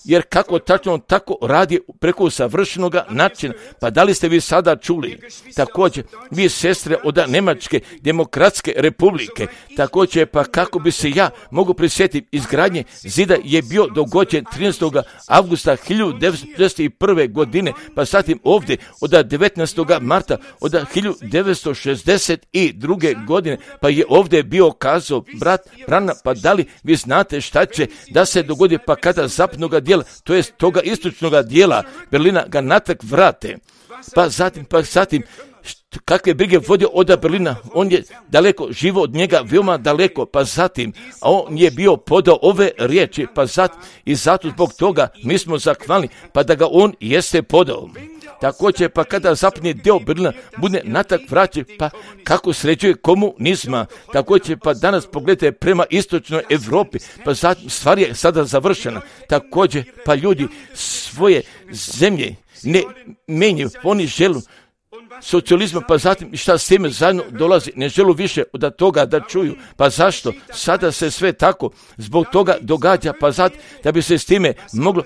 jer kako tačno tako radi preko savršenog načina. Pa da li ste vi sada čuli? Također, vi sestre od Njemačke demokratske republike, također, pa kako bi se ja mogu prisjetiti, izgradnje zida je bio dogođen trinaestog avgusta hiljadu devetsto šezdeset prve. godine, pa zatim ovdje od devetnaestog marta od hiljadu devetsto šezdeset druge. godine, pa je ovdje bio kazao brat Branham, pa da li vi znate šta će da se dogodi, pa kada zapadnog zapadnog dijela, to jest toga istočnog dijela Berlina ga natrag vrate. Pa zatim, pa zatim, kakve brige vodio od Berlina, on je daleko, živo od njega, veoma daleko, pa zatim, a on je bio podao ove riječi, pa zatim, i zato zbog toga mi smo zahvalni, pa da ga on jeste podao. Također, pa kada zapadni dio Berlina bude natak vraćen, pa kako sređuje komunizma, također, pa danas pogledajte prema istočnoj Europi, pa zatim, stvar je sada završena, također, pa ljudi svoje zemlje ne menjaju, oni žele socijalizma, pa zatim šta s time zajedno dolazi, ne želu više od toga da čuju. Pa zašto? Sada se sve tako zbog toga događa, pa zatim da bi se s time moglo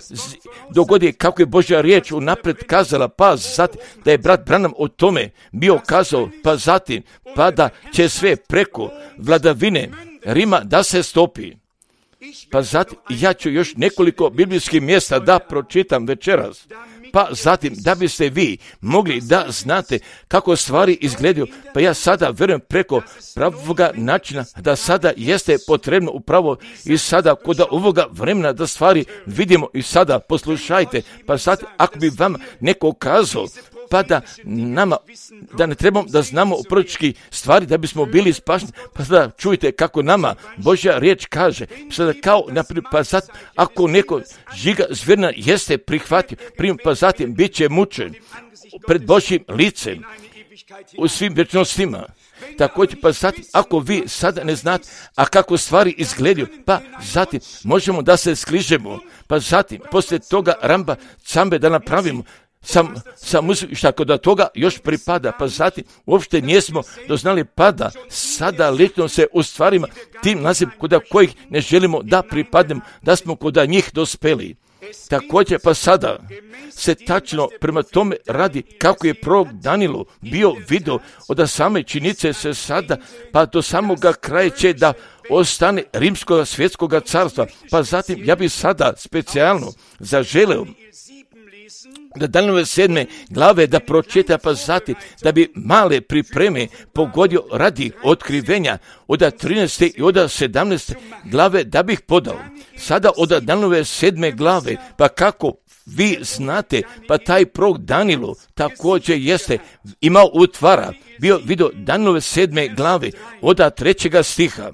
dogoditi kako je Božja riječ unaprijed kazala, pa zatim da je brat Branham o tome bio kazao, pa zatim pa da će sve preko vladavine Rima da se stopi. Pa zatim ja ću još nekoliko biblijskih mjesta da pročitam večeras. Pa zatim, da biste vi mogli da znate kako stvari izgledaju, pa ja sada vjerujem preko pravoga načina da sada jeste potrebno upravo i sada kod ovoga vremena da stvari vidimo i sada poslušajte, pa zatim ako bi vam neko kazao, pa da nama, da ne trebamo da znamo proročki stvari da bismo bili spašeni, pa sada čujte kako nama Božja riječ kaže, sada kao, naprijed, pa zatim, ako neko žiga zvjerna jeste prihvatio, prim, pa zatim bit će mučen pred Božjim licem u svim vječnostima. Također, pa zatim, ako vi sada ne znate, a kako stvari izgledaju, pa zatim možemo da se skližemo, pa zatim, poslije toga ramba cambe da napravimo, sam, sam muziku, šta kod toga još pripada, pa zatim uopšte nismo doznali pada, sada lično se u stvarima tim naziv kod kojih ne želimo da pripadnemo, da smo kod njih dospeli. Također, pa sada se tačno prema tome radi kako je prorok Danilo bio video od same činice se sada, pa do samoga kraja će da ostane rimskog svjetskog carstva. Pa zatim ja bih sada specijalno zaželeo da Danielove sedme glave da pročita, pa zatim da bi male pripreme pogodio radi otkrivenja od trinaeste i od sedamnaeste glave da bih podao. Sada od Danielove sedme glave, pa kako vi znate, pa taj prorok Danilo također jeste imao utvara, bio vidio Danielove sedme glave od trećega stiha.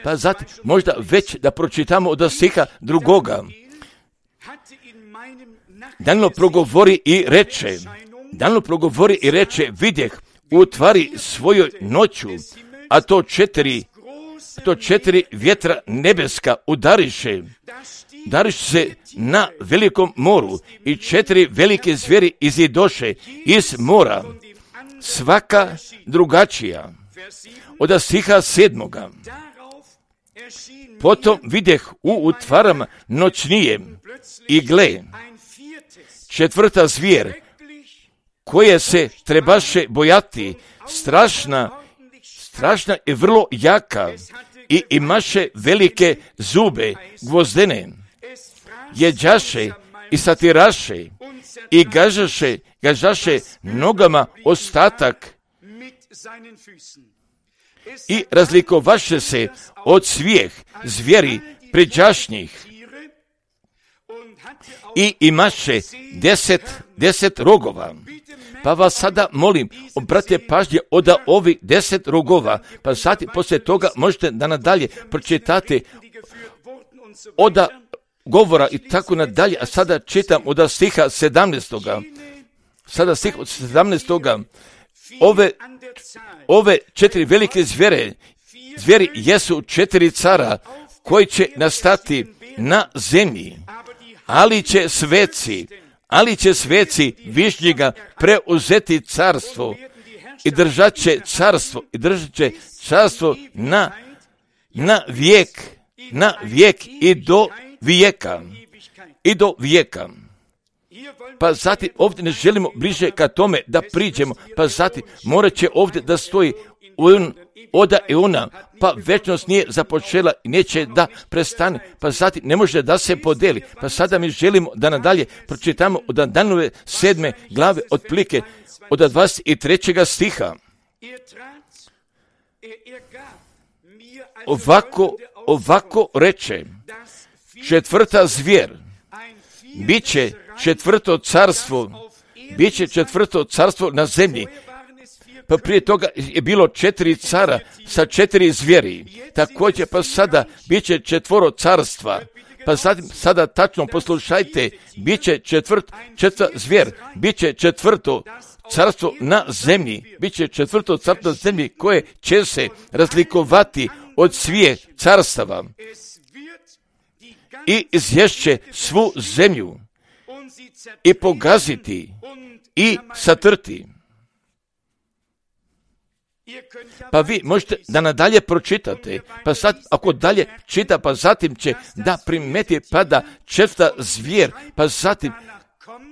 Pa zatim možda već da pročitamo od stiha drugoga. Danilo progovori i reče, Danilo progovori i reče, vidjeh u tvari svojoj noću, a to četiri, to četiri vjetra nebeska udariše, udariše se na velikom moru i četiri velike zvijeri izidoše iz mora, svaka drugačija. Od stiha sedmoga. Potom vidjeh u utvarama noćnije i gle, četvrta zvijer, koje se trebaše bojati, strašna, strašna i vrlo jaka i imaše velike zube gvozdene, jeđaše i satiraše i gažaše, gažaše nogama ostatak i razlikovaše se od svijeh zvijeri pređašnjih i imaše deset, deset rogova. Pa vas sada molim, obratite pažnje od ovih deset rogova, pa zatim poslije toga možete da nadalje pročitate od govora i tako nadalje, a sada čitam od stiha sedamnaestoga. Sada stih od sedamnaestoga. Ove, ove četiri velike zvijere, zvijeri jesu četiri cara koji će nastati na zemlji, ali će sveci, ali će sveci višnjega preuzeti carstvo i držat će carstvo i držat će carstvo na, na vijek, na vijek i do vijeka, i do vijeka. Pa zatim ovdje ne želimo bliže ka tome da priđemo, pa zatim morat će ovdje da stoji un, oda i una, pa večnost nije započela i neće da prestane, pa zatim ne može da se podeli. Pa sada mi želimo da nadalje pročitamo od Danielove sedme glave otplike od dvadeset trećega stiha. Ovako, ovako reče, četvrta zvijer Biće četvrto carstvo, biće četvrto carstvo na zemlji. Pa prije toga je bilo četiri cara sa četiri zvijeri. Također pa sada biće četvoro carstva. Pa sad, sada tačno poslušajte, biće četvrt, četvrta zvijer, biće četvrto carstvo na zemlji, biće četvrto carstvo na zemlji koje će se razlikovati od svih carstava i izješće svu zemlju i pogaziti i satrti. Pa vi možete da nadalje pročitate, pa sad ako dalje čita, pa zatim će da primeti pa da četvrta zvijer, pa zatim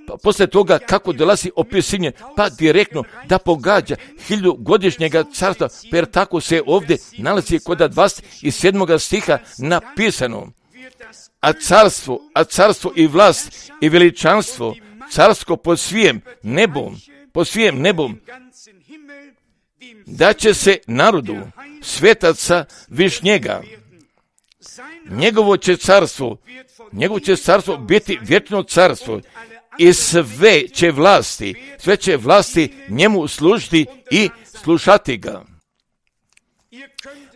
pa poslije toga kako dolazi opisanje, pa direktno da pogađa hiljadugodišnjega carstva, jer tako se ovdje nalazi kod dvadeset sedmog stiha napisano. A carstvo, a carstvo i vlast i veličanstvo, carsko po svijem nebom, po svijem nebom, da će se narodu svetaca višnjega. Njegovo će carstvo, njegovo će carstvo biti vječno carstvo i sve će vlasti, sve će vlasti njemu služiti i slušati ga.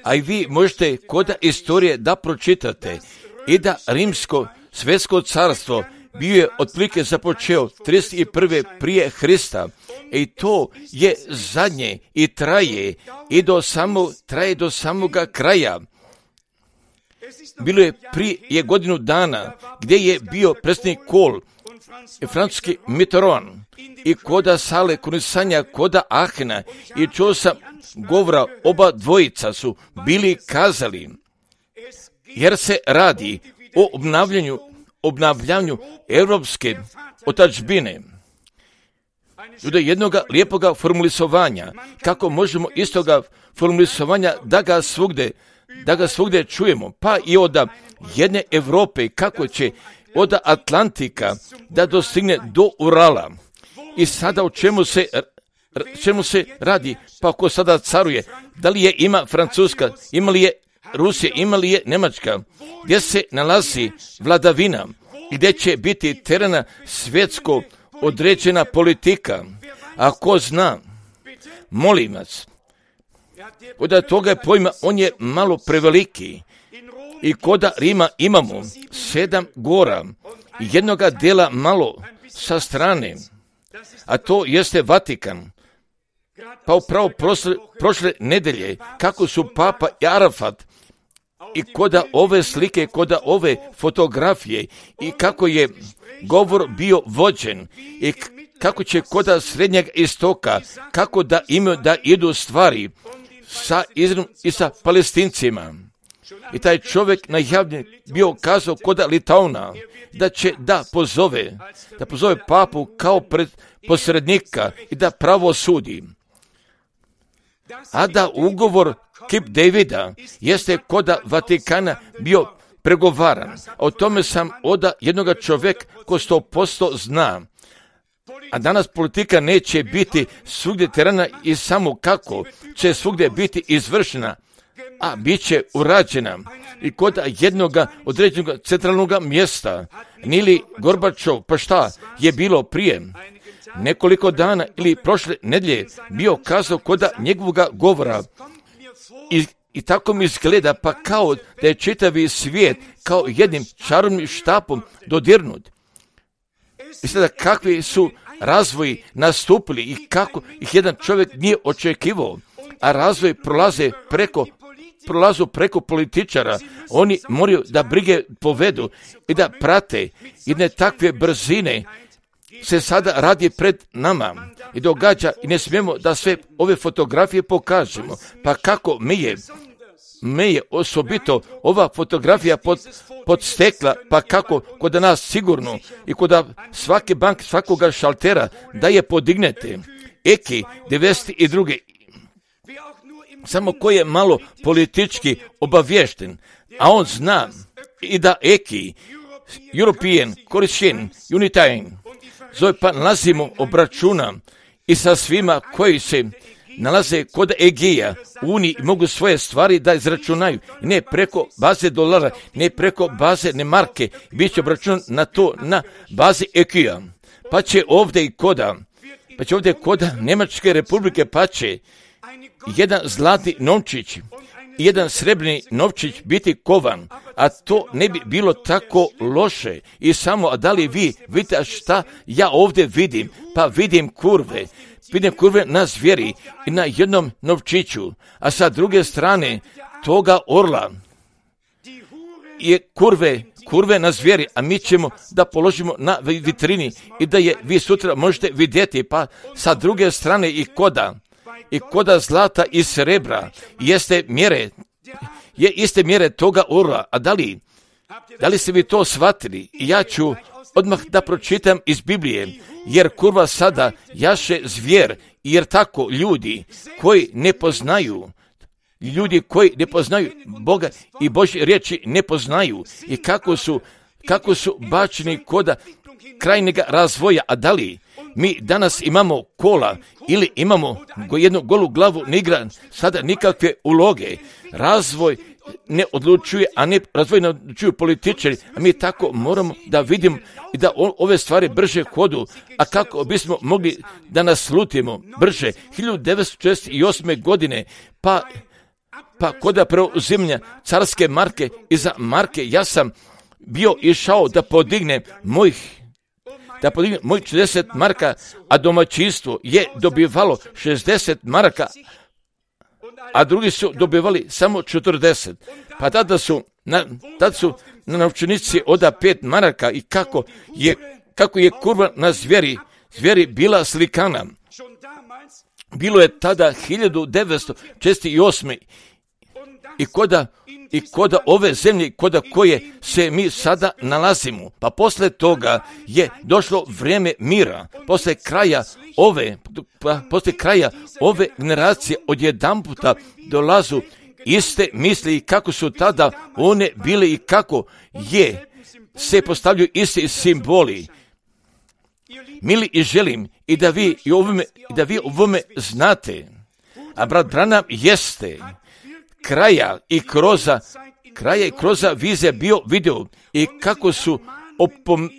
A i vi možete kod istorije da pročitate i da rimsko svjetsko carstvo bio je otprilike započeo trideset prve prije Hrista i to je zadnje i traje i do samo, traje do samoga kraja. Bilo je prije godinu dana gdje je bio predsjednik Kohl i francuski Mitterrand i koda sale kunisanja koda Ahena i čuo sam govora, oba dvojica su bili kazali, jer se radi o obnavljanju obnavljanju europske otadžbine. Do jednoga lijepoga formulisovanja, kako možemo istoga formulisovanja da ga svugde, da ga svugde čujemo, pa i od jedne Europe, kako će od Atlantika da dostigne do Urala. I sada o čemu se, čemu se radi? Pa ko sada caruje? Da li je ima Francuska, ima li je Rusija, ima li je Njemačka? Gdje se nalazi vladavina? Gdje će biti terena svjetsko određena politika? A ko zna? Molim vas. Od toga pojma on je malo preveliki. I koda Rima imamo sedam gora i jednoga dela malo sa strane, a to jeste Vatikan. Pa upravo prošle, prošle nedelje, kako su Papa i Arafat i koda ove slike, koda ove fotografije i kako je govor bio vođen i kako će koda Srednjeg istoka, kako da imaju da idu stvari sa Izraelom i sa Palestincima. I taj čovjek najavljen bio kazao koda Litauna da će da pozove, da pozove papu kao pred posrednika i da pravo sudi. A da ugovor Kip Davida jeste koda Vatikana bio pregovaran. O tome sam oda jednoga čovjeka ko sto posto zna. A danas politika neće biti svugdje terana i samo kako će svugdje biti izvršena, a bit će urađena i kod jednog određenog centralnog mjesta. Nili Gorbačov, pa šta je bilo prije nekoliko dana ili prošle nedjelje bio kazao kod njegovog govora i, i tako mi izgleda pa kao da je čitavi svijet kao jednim čarobnim štapom dodirnut. I sada kakvi su razvoji nastupili i kako ih jedan čovjek nije očekivao, a razvoj prolaze preko prolazu preko političara, oni moraju da brige povedu i da prate jedne takve brzine se sada radi pred nama i događa i ne smijemo da sve ove fotografije pokažemo. Pa kako mi je, mi je osobito ova fotografija pod, podstekla, pa kako kod nas sigurno i kod svake banke, svakoga šaltera da je podignete. Eki devedeset druge samo ko je malo politički obavješten, a on zna i da Eki, European, Christian, Unitarian, zove pa nalazimo obračuna i sa svima koji se nalaze kod Egeja u Uniji i mogu svoje stvari da izračunaju. Ne preko baze dolara, ne preko baze ne marke, bit će obračun na to na bazi Egeja. Pa će ovdje i koda, pa će ovdje koda Njemačke republike, pa će jedan zlatni novčić i jedan srebrni novčić biti kovan, a to ne bi bilo tako loše. I samo, a da li vi vidite šta ja ovdje vidim? Pa vidim kurve, vidim kurve na zvijeri i na jednom novčiću, a sa druge strane toga orla je kurve, kurve na zvijeri, a mi ćemo da položimo na vitrini i da je vi sutra možete vidjeti. Pa sa druge strane i koda, i koda zlata i srebra jeste mjere, je iste mjere toga orla. A da li, da li ste vi to shvatili? Ja ću odmah da pročitam iz Biblije, jer kurva sada jaše zvijer, jer tako ljudi koji ne poznaju, ljudi koji ne poznaju Boga i Božje riječi ne poznaju i kako su, kako su bačeni koda krajnjega razvoja. A da li mi danas imamo kola ili imamo jednu golu glavu, ne igra sada nikakve uloge. Razvoj ne odlučuje, a ne razvoj ne odlučuju političari, a mi tako moramo da vidimo i da ove stvari brže hodu. A kako bismo mogli da naslutimo brže? hiljadu devetsto četrdeset osme. godine, pa pa koda preuzimanja carske marke, iza marke ja sam bio išao da podignem mojih da podignem mojih četrdeset maraka, a domaćinstvo je dobivalo šezdeset maraka, a drugi su dobivali samo četrdeset. Pa tada su na, tada su na novčanici oda pet maraka i kako je, kako je kurva na zvijeri, zvijeri bila slikana. Bilo je tada hiljadu devetsto četrdeset osme. I koda, i koda ove zemlje, koda koje se mi sada nalazimo. Pa posle toga je došlo vrijeme mira. Posle kraja ove, pa posle kraja ove generacije odjedanputa dolazu iste misli i kako su tada one bile i kako je se postavljaju iste simboli. Mili, i želim i da vi i ovome, i da vi ovome znate. A brat Branham jeste kraja i kroza, kraja i kroza vize bio video i kako su opom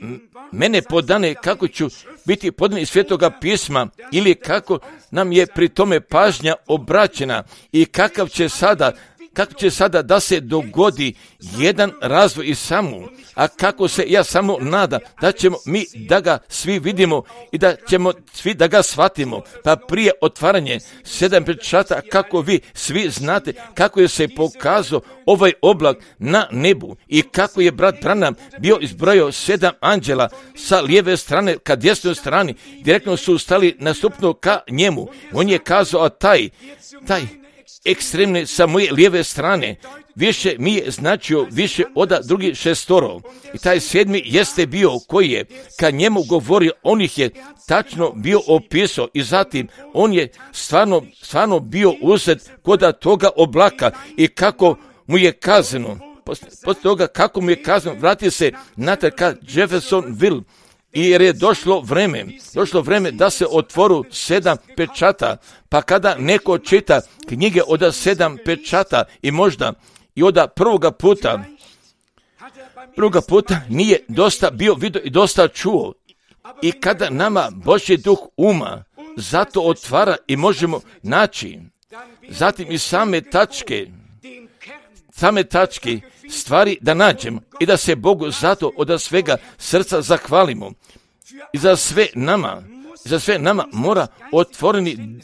mene podane, kako ću biti podan iz Svetoga pisma ili kako nam je pri tome pažnja obraćena i kakav će sada, kako će sada da se dogodi jedan razvoj i samo, a kako se ja samo nadam da ćemo mi da ga svi vidimo i da ćemo svi da ga shvatimo. Pa prije otvaranje sedam pečata, kako vi svi znate kako je se pokazao ovaj oblak na nebu i kako je brat Branham bio izbrojao sedam anđela sa lijeve strane ka desnoj strani, direktno su stali nastupno ka njemu. On je kazao, a taj, taj ekstremne sa moje lijeve strane više mi je značio više od drugih šestoro. I taj sedmi jeste bio koji je kad njemu govorio, on ih je tačno bio opisao i zatim on je stvarno, stvarno bio uzet kod toga oblaka i kako mu je kazano, posle toga kako mu je kazano, vrati se natrag ka Jeffersonville. I jer je došlo vreme, došlo vreme da se otvoru sedam pečata, pa kada neko čita knjige od sedam pečata i možda i od prvoga puta, prvoga puta nije dosta bio vidio i dosta čuo. I kada nama Božji duh uma zato otvara i možemo naći, zatim i same tačke, same tačke, stvari da nađemo i da se Bogu zato od svega srca zahvalimo. I za sve nama, za sve nama mora otvoreni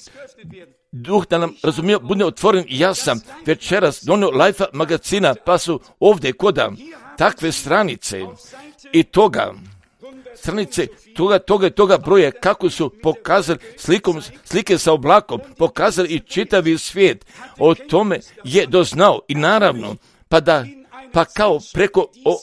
duh da nam razumije, bude otvoren. Ja sam večeras donio Life magazina, pa su ovdje koda takve stranice i toga, stranice toga, toga i toga broja, kako su pokazali slikom, slike sa oblakom, pokazali i čitavi svijet. O tome je doznao i naravno, pa da pa kao preko o,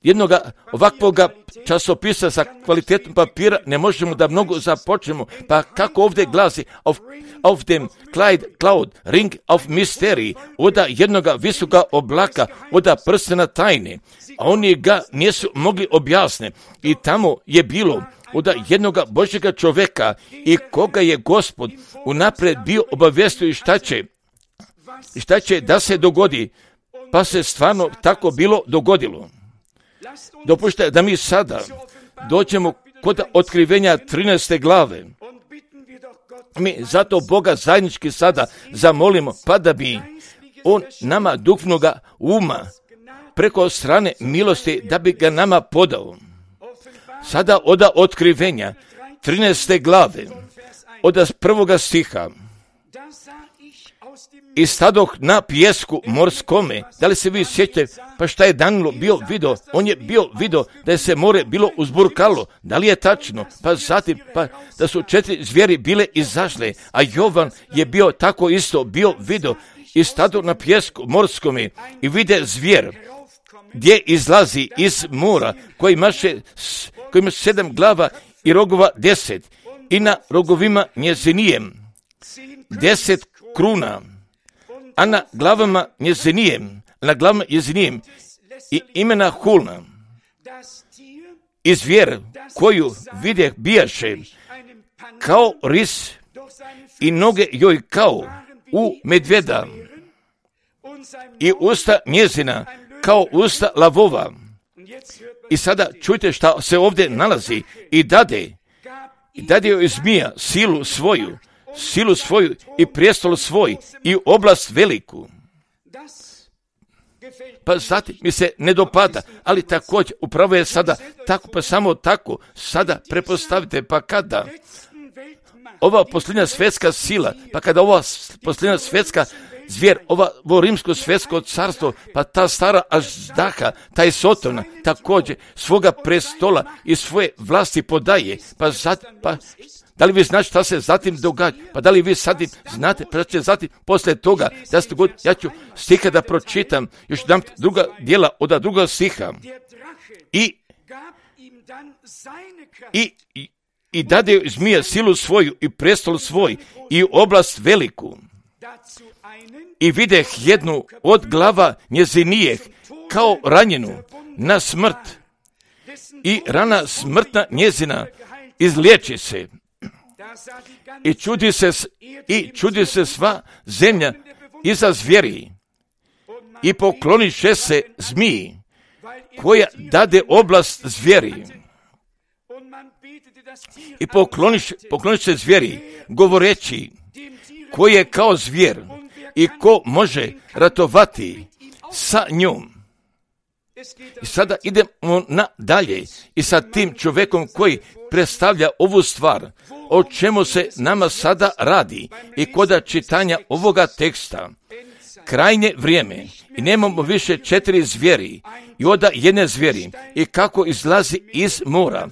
jednog ovakvoga časopisa sa kvalitetom papira ne možemo da mnogo započnemo. Pa kako ovdje glasi of, of them Clyde cloud ring of mystery, oda jednoga visoka oblaka, oda prstena tajne, a oni ga nisu mogli objasniti. I tamo je bilo od jednoga Božjega čovjeka i koga je Gospod unaprijed bio obavijestio i šta će, šta će da se dogodi, pa se stvarno tako bilo dogodilo. Dopušte da mi sada dođemo kod otkrivenja trinaeste glave. Mi zato Boga zajednički sada zamolimo, pa da bi On nama duhovnoga uma preko strane milosti da bi ga nama podao. Sada od otkrivenja trinaeste glave, od prvoga stiha. I stadoh na pijesku morskome. Da li se vi sjećate, pa šta je Danilo bio vidio? On je bio vidio da je se more bilo uzburkalo. Da li je tačno? Pa zatim, pa da su četiri zvijeri bile izašle, a Jovan je bio tako isto bio vidio i stadoh na pijesku morskome i vide zvijer gdje izlazi iz mora, koji imaše, koji ima sedam glava i rogova deset, i na rogovima njezinijem deset kruna, a na glavama njezinijem, na glavama njezinijem i imena Hulna. I zvijer koju vidjeh bijaše kao ris i noge joj kao u medvjeda i usta njezina kao usta lavova. I sada čujte šta se ovdje nalazi. I dade, i dade joj zmija silu svoju, silu svoju i prijestol svoj i oblast veliku. Pa zatim mi se ne dopada, ali također upravo je sada tako, pa samo tako, sada prepostavite, pa kada ova posljednja svjetska sila, pa kada ova posljednja svjetska zvijer, ova, ovo rimsko svjetsko carstvo, pa ta stara Aždaha, taj Sotona, također svoga prestola i svoje vlasti podaje, pa zatim, pa da li vi znate šta se zatim događa? Pa da li vi zatim znate, pa će zatim poslije toga, da ste god, ja ću stiha da pročitam, još dam druga dijela od druga stiha. I, i, i, i dade zmija silu svoju i prestol svoj i oblast veliku. I videh jednu od glava njezinijeh kao ranjenu na smrt i rana smrtna njezina izliječi se. I čudi se, i čudi se sva zemlja iza zvijeri i pokloniše se zmiji koja dade oblast zvijeri. I pokloniše, pokloniše se zvijeri govoreći ko je kao zvijer i ko može ratovati sa njom. I sada idemo nadalje i sa tim čovjekom koji predstavlja ovu stvar, o čemu se nama sada radi i kod čitanja ovoga teksta. Krajnje vrijeme i nemamo više četiri zvijeri i oda jedne zvijeri i kako izlazi iz mora.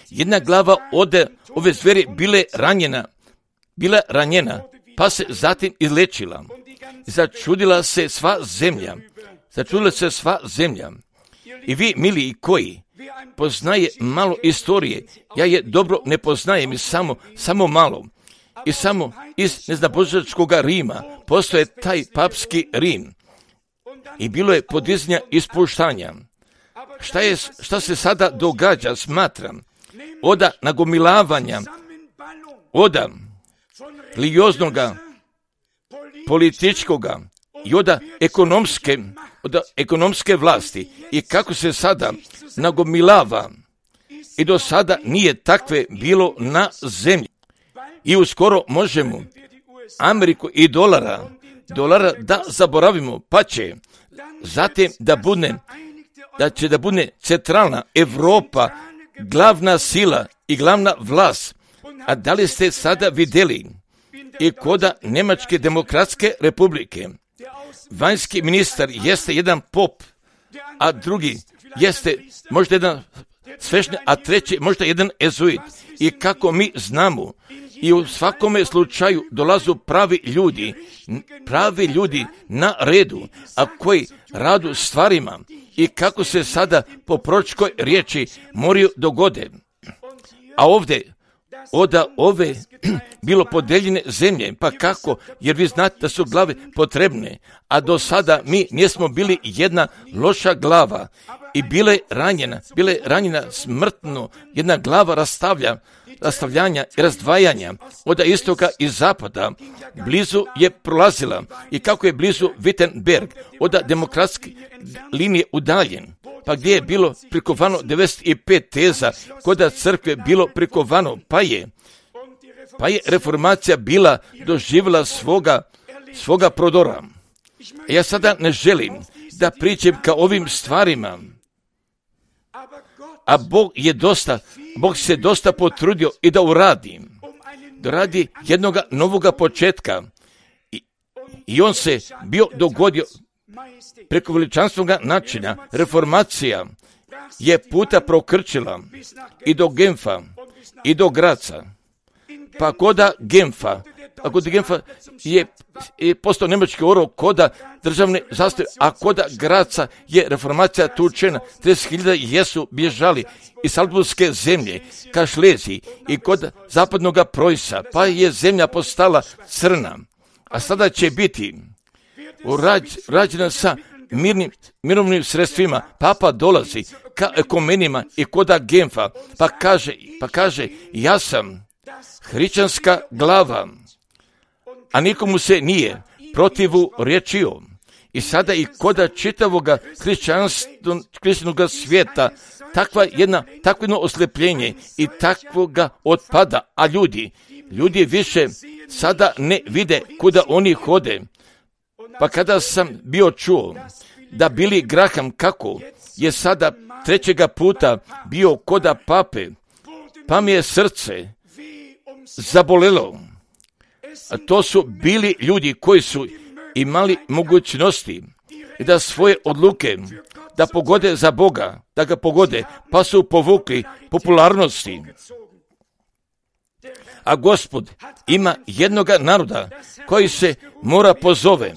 Jedna glava ode ove zvijeri bile ranjena, bila ranjena, pa se zatim izlečila. Začudila se sva zemlja, začudila se sva zemlja. I vi, mili i koji poznaje malo istorije, ja je dobro ne poznajem i samo, samo malo. I samo iz neznabožačkoga Rima postoje taj papski Rim. I bilo je podizanja ispuštanja. Šta, je, šta se sada događa, smatram, oda nagomilavanja, oda religioznoga, političkoga i oda ekonomske, oda ekonomske vlasti i kako se sada nagomilava i do sada nije takve bilo na zemlji. I uskoro možemo Ameriku i dolara, dolara da zaboravimo, pa će zatim da bude, da će da bude centralna Europa glavna sila i glavna vlast. A da li ste sada vidjeli i koda Njemačke demokratske republike? Vanjski ministar jeste jedan pop, a drugi jeste možda jedan sveštenik, a treći možda jedan ezuit. I kako mi znamo, i u svakome slučaju dolazu pravi ljudi, pravi ljudi na redu, a koji radu stvarima i kako se sada po proročkoj riječi moraju dogode. A ovdje od ove bilo podeljene zemlje. Pa kako? Jer vi znate da su glave potrebne, a do sada mi nismo bili jedna loša glava i bile ranjena, bile ranjena smrtno, jedna glava rastavlja, rastavljanja i razdvajanja od istoka i zapada. Blizu je prolazila i kako je blizu Wittenberg, od demokratske linije udaljen. Pa gdje je bilo prikovano devedeset pet teza, kod crkve bilo prikovano, pa je, pa je reformacija bila doživjela svoga, svoga prodora. Ja sada ne želim da pričam ka ovim stvarima, a Bog je dosta, Bog se dosta potrudio i da uradi, da radi jednoga novoga početka. I, i on se bio dogodio preko veličanstvenog načina. Reformacija je puta prokrčila i do Genfa i do Graca. Pa koda Genfa, a kod Genfa je, je postao njemački orao koda državne zastave, a koda Graca je reformacija tučena. trideset hiljada jesu bježali iz Salzburgske zemlje ka Šleziji i kod zapadnog Preussa, pa je zemlja postala crna. A sada će biti urađ, rađena sa mirnim, mirovnim sredstvima. Papa dolazi ka ekumenima i koda Genfa, pa kaže, pa kaže ja sam hrišćanska glava, a nikomu se nije protivu rječio. I sada i koda čitavoga hrišćanskog svijeta takva jedna, takvo jedno oslepljenje i takvoga otpada, a ljudi, ljudi više sada ne vide kuda oni hode. Pa kada sam bio čuo da Billy Graham kako je sada trećega puta bio koda pape, pa mi je srce zabolelo. A to su bili ljudi koji su imali mogućnosti da svoje odluke da pogode za Boga, da ga pogode, pa su povukli popularnosti. A Gospod ima jednoga naroda koji se mora pozove.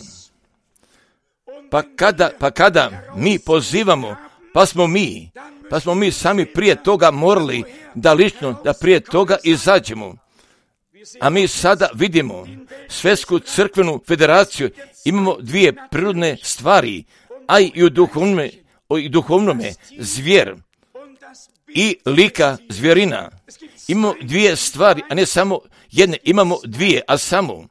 Pa kada, pa kada mi pozivamo, pa smo mi, pa smo mi sami prije toga morali da lično, da prije toga izađemo. A mi sada vidimo Svjetsku crkvenu federaciju, imamo dvije prirodne stvari, a i u duhovnome, i duhovnome zvjer i lika zvjerina. Imamo dvije stvari, a ne samo jedne, imamo dvije, a samo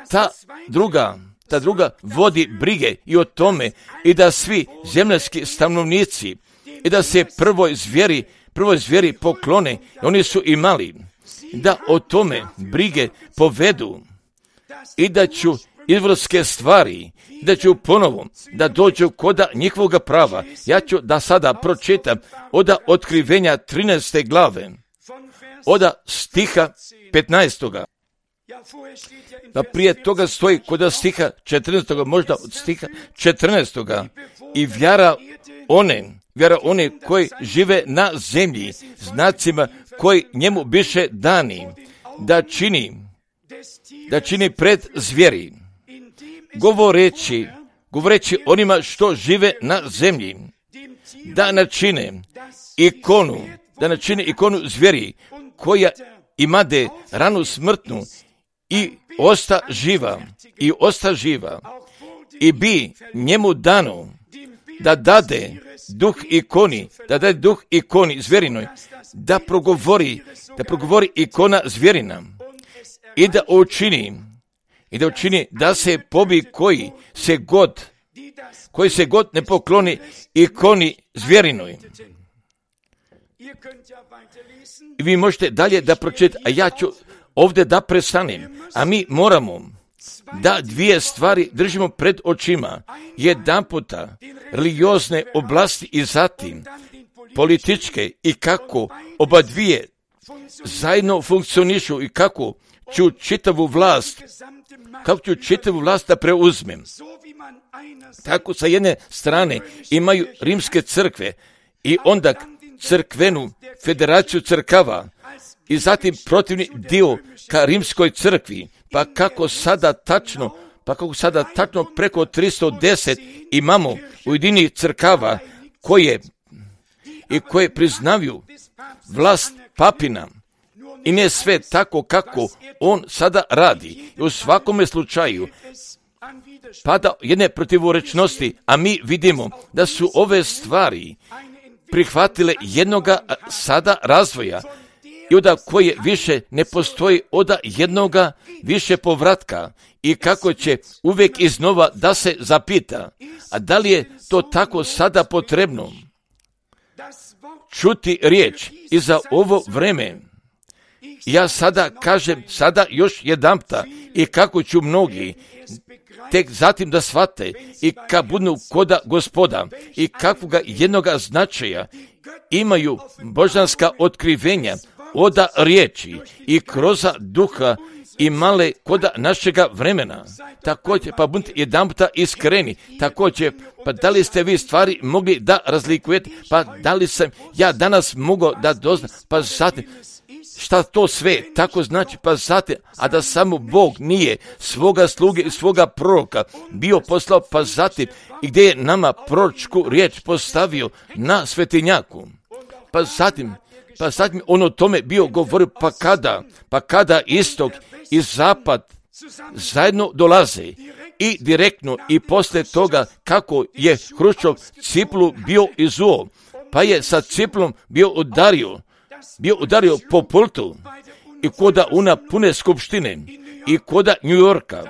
ta druga, ta druga vodi brige i o tome i da svi zemljski stanovnici i da se prvoj zvjeri, prvoj zvjeri poklone, oni su imali da o tome brige povedu i da ću izvorske stvari, da ću ponovo da dođu koda njihovog prava. Ja ću da sada pročitam od otkrivenja trinaeste glave, od stiha petnaestoga. Pa prije toga stoji kod stiha četrnaestoga, možda od stiha četrnaestoga. I vjera one, vjera one koji žive na zemlji, znacima koji njemu biše dani, da čini, da čini pred zvjeri, govoreći, govoreći onima što žive na zemlji, da načine ikonu, da načine ikonu zvjeri, koja imade ranu smrtnu i osta živa, i osta živa, i bi njemu dano da dade duh ikoni, da dade duh ikoni zvjerinoj, da progovori, da progovori ikona zvjerina i da učini, i da učini da se pobi koji se god, koji se god ne pokloni ikoni zvjerinoj. I vi možete dalje da pročitate, a ja ću ovdje da prestanem, a mi moramo da dvije stvari držimo pred očima, jedan puta religiozne oblasti i zatim političke i kako oba dvije zajedno funkcionišu i kako ću čitavu vlast, kako ću čitavu vlast da preuzmem. Tako sa jedne strane imaju rimske crkve i onda crkvenu federaciju crkava i zatim protivni dio ka rimskoj crkvi, pa kako sada tačno, pa kako sada tačno preko tristo deset imamo ujedinjenih crkava koje i koje priznavaju vlast papina i ne sve tako kako on sada radi. I u svakome slučaju pada jedne protivorečnosti, a mi vidimo da su ove stvari prihvatile jednoga sada razvoja i od koje više ne postoji od jednoga više povratka i kako će uvijek iznova da se zapita, a da li je to tako sada potrebno čuti riječ i za ovo vreme. Ja sada kažem sada još jedanputa i kako ću mnogi tek zatim da shvate i kad budu koda Gospoda i kakvoga jednoga značaja imaju božanska otkrivenja od riječi i kroz duha i male koda našega vremena. Također, pa budite jedanputa iskreni, također, pa da li ste vi stvari mogli da razlikujete, pa da li sam ja danas mogao da doznam, pa zatim, šta to sve tako znači, pa zatim, a da samo Bog nije svoga sluge i svoga proroka bio poslao, pa zatim, i gdje je nama proročku riječ postavio na svetinjaku, pa zatim, pa zatim on o tome bio govorio, pa kada, pa kada istok i zapad zajedno dolaze i direktno i poslije toga kako je Hruščov ciplu bio izuo, pa je sa ciplom bio udario, bio udario po pultu i koda una pune skupštine i koda New Yorka.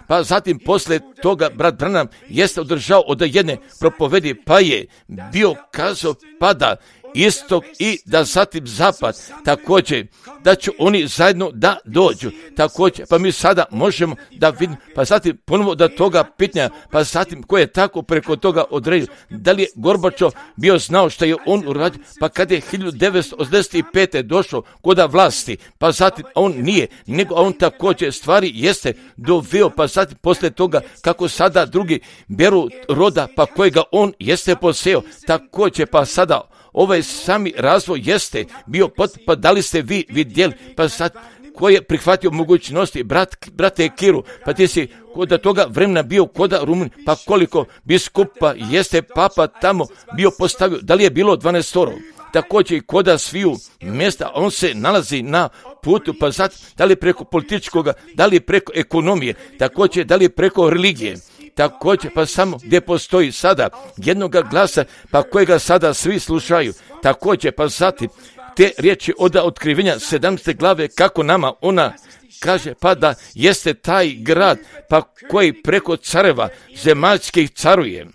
Pa zatim poslije toga brat Branham jeste održao od jedne propovedi, pa je bio kazao pada istok i da zatim zapad, također da će oni zajedno da dođu, također, pa mi sada možemo da vidimo, pa zatim ponovo da toga pitanja, pa zatim ko je tako preko toga odredio, da li je Gorbačov bio znao što je on uradio, pa kad je hiljadu devetsto osamdeset pete došao koda vlasti, pa zatim on nije, nego on također stvari jeste doveo, pa zatim poslije toga kako sada drugi beru roda, pa kojega on jeste poseo, također, pa sada ovaj sami razvoj jeste bio pot, pa da li ste vi vidjeli, pa sad ko je prihvatio mogućnosti, brat, brate Kiru, pa ti si koda toga vremena bio koda Rumun, pa koliko biskupa jeste papa tamo bio postavio, da li je bilo dvanaestoro, također i koda sviju mjesta, on se nalazi na putu, pa sad da li preko političkoga, da li preko ekonomije, također da li preko religije, također pa samo gdje postoji sada jednoga glasa, pa kojega sada svi slušaju, također pa zatim te riječi od otkrivenja sedamnaeste glave, kako nama ona kaže, pa da jeste taj grad, pa koji preko careva zemaljskih caruje.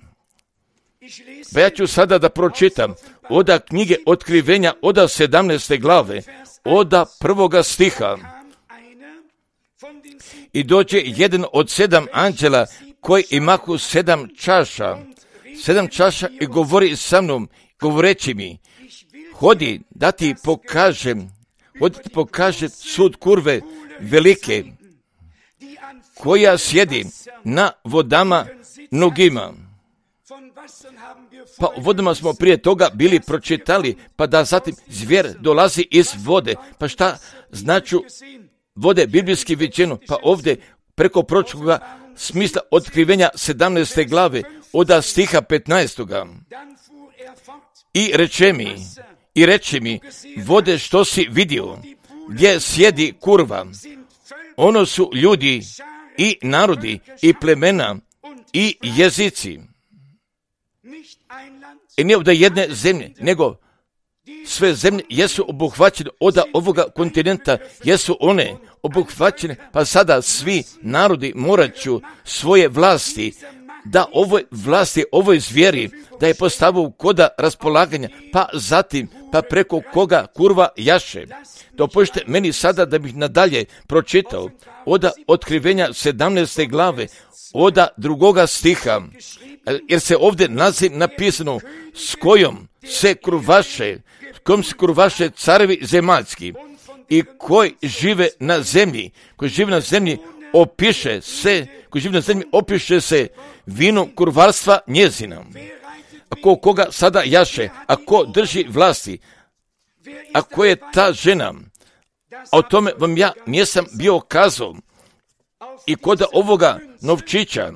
Pa ja ću sada da pročitam od knjige otkrivenja od sedamnaeste glave, od prvoga stiha. I dođe jedan od sedam anđela koji imahu sedam čaša, sedam čaša i govori sa mnom, govoreći mi, hodi da ti pokažem, hodi da ti pokažem sud kurve velike, koja sjedi na vodama mnogima. Pa u vodama smo prije toga bili pročitali, pa da zatim zvijer dolazi iz vode. Pa šta značu vode biblijski viđeno? Pa ovdje preko proročkoga smisla otkrivenja sedamnaeste glave od stiha petnaestoga. I reče mi, i reče mi, vode što si vidio, gdje sjedi kurva, ono su ljudi i narodi i plemena i jezici. I nije ovdje jedne zemlje, nego sve zemlje jesu obuhvaćene od ovoga kontinenta, jesu one obuhvaćene, pa sada svi narodi morat ću svoje vlasti, da ovoj vlasti, ovoj zvijeri, da je postavio koda raspolaganja, pa zatim, pa preko koga kurva jaše. Dopustite meni sada da bih nadalje pročitao od otkrivenja sedamnaeste glave, od drugoga stiha, jer se ovdje nalazi napisano s kojom se kurvaše, s kojom se kurvaše carevi zemaljski i koji žive na zemlji, koji žive na zemlji opiše se, koji žive na zemlji opiše se vinom kurvarstva njezina. Ako koga sada jaše, ako drži vlasti, ako je ta žena, a o tome vam ja nisam bio kazao, i koda ovoga novčića,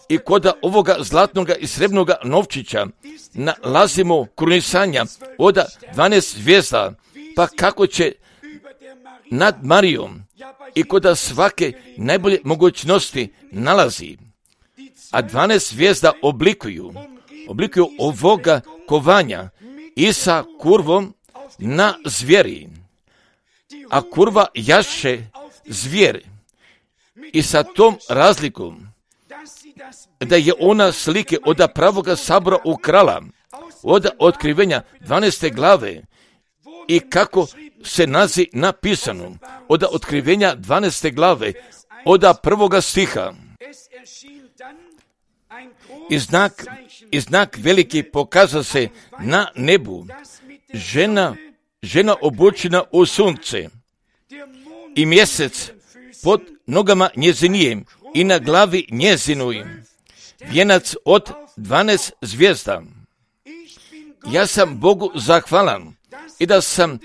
i koda ovoga zlatnoga i srebrnoga novčića nalazimo krunisanja od dvanaest zvijezda, pa kako će nad Marijom i kod svake najbolje mogućnosti nalazi. A dvanaest zvijezda oblikuju, oblikuju ovoga kovanja i sa kurvom na zvijeri. A kurva jaše zvijer i sa tom razlikom da je ona slike od pravoga sabora ukrala, od otkrivenja dvanaeste glave i kako se nazi napisano, od otkrivenja dvanaeste glave, od prvoga stiha. I znak, i znak veliki pokaza se na nebu, žena, žena obučena u sunce i mjesec pod nogama njezinijem i na glavi njezinuj vijenac od dvanaest zvijezda. Ja sam Bogu zahvalan i da sam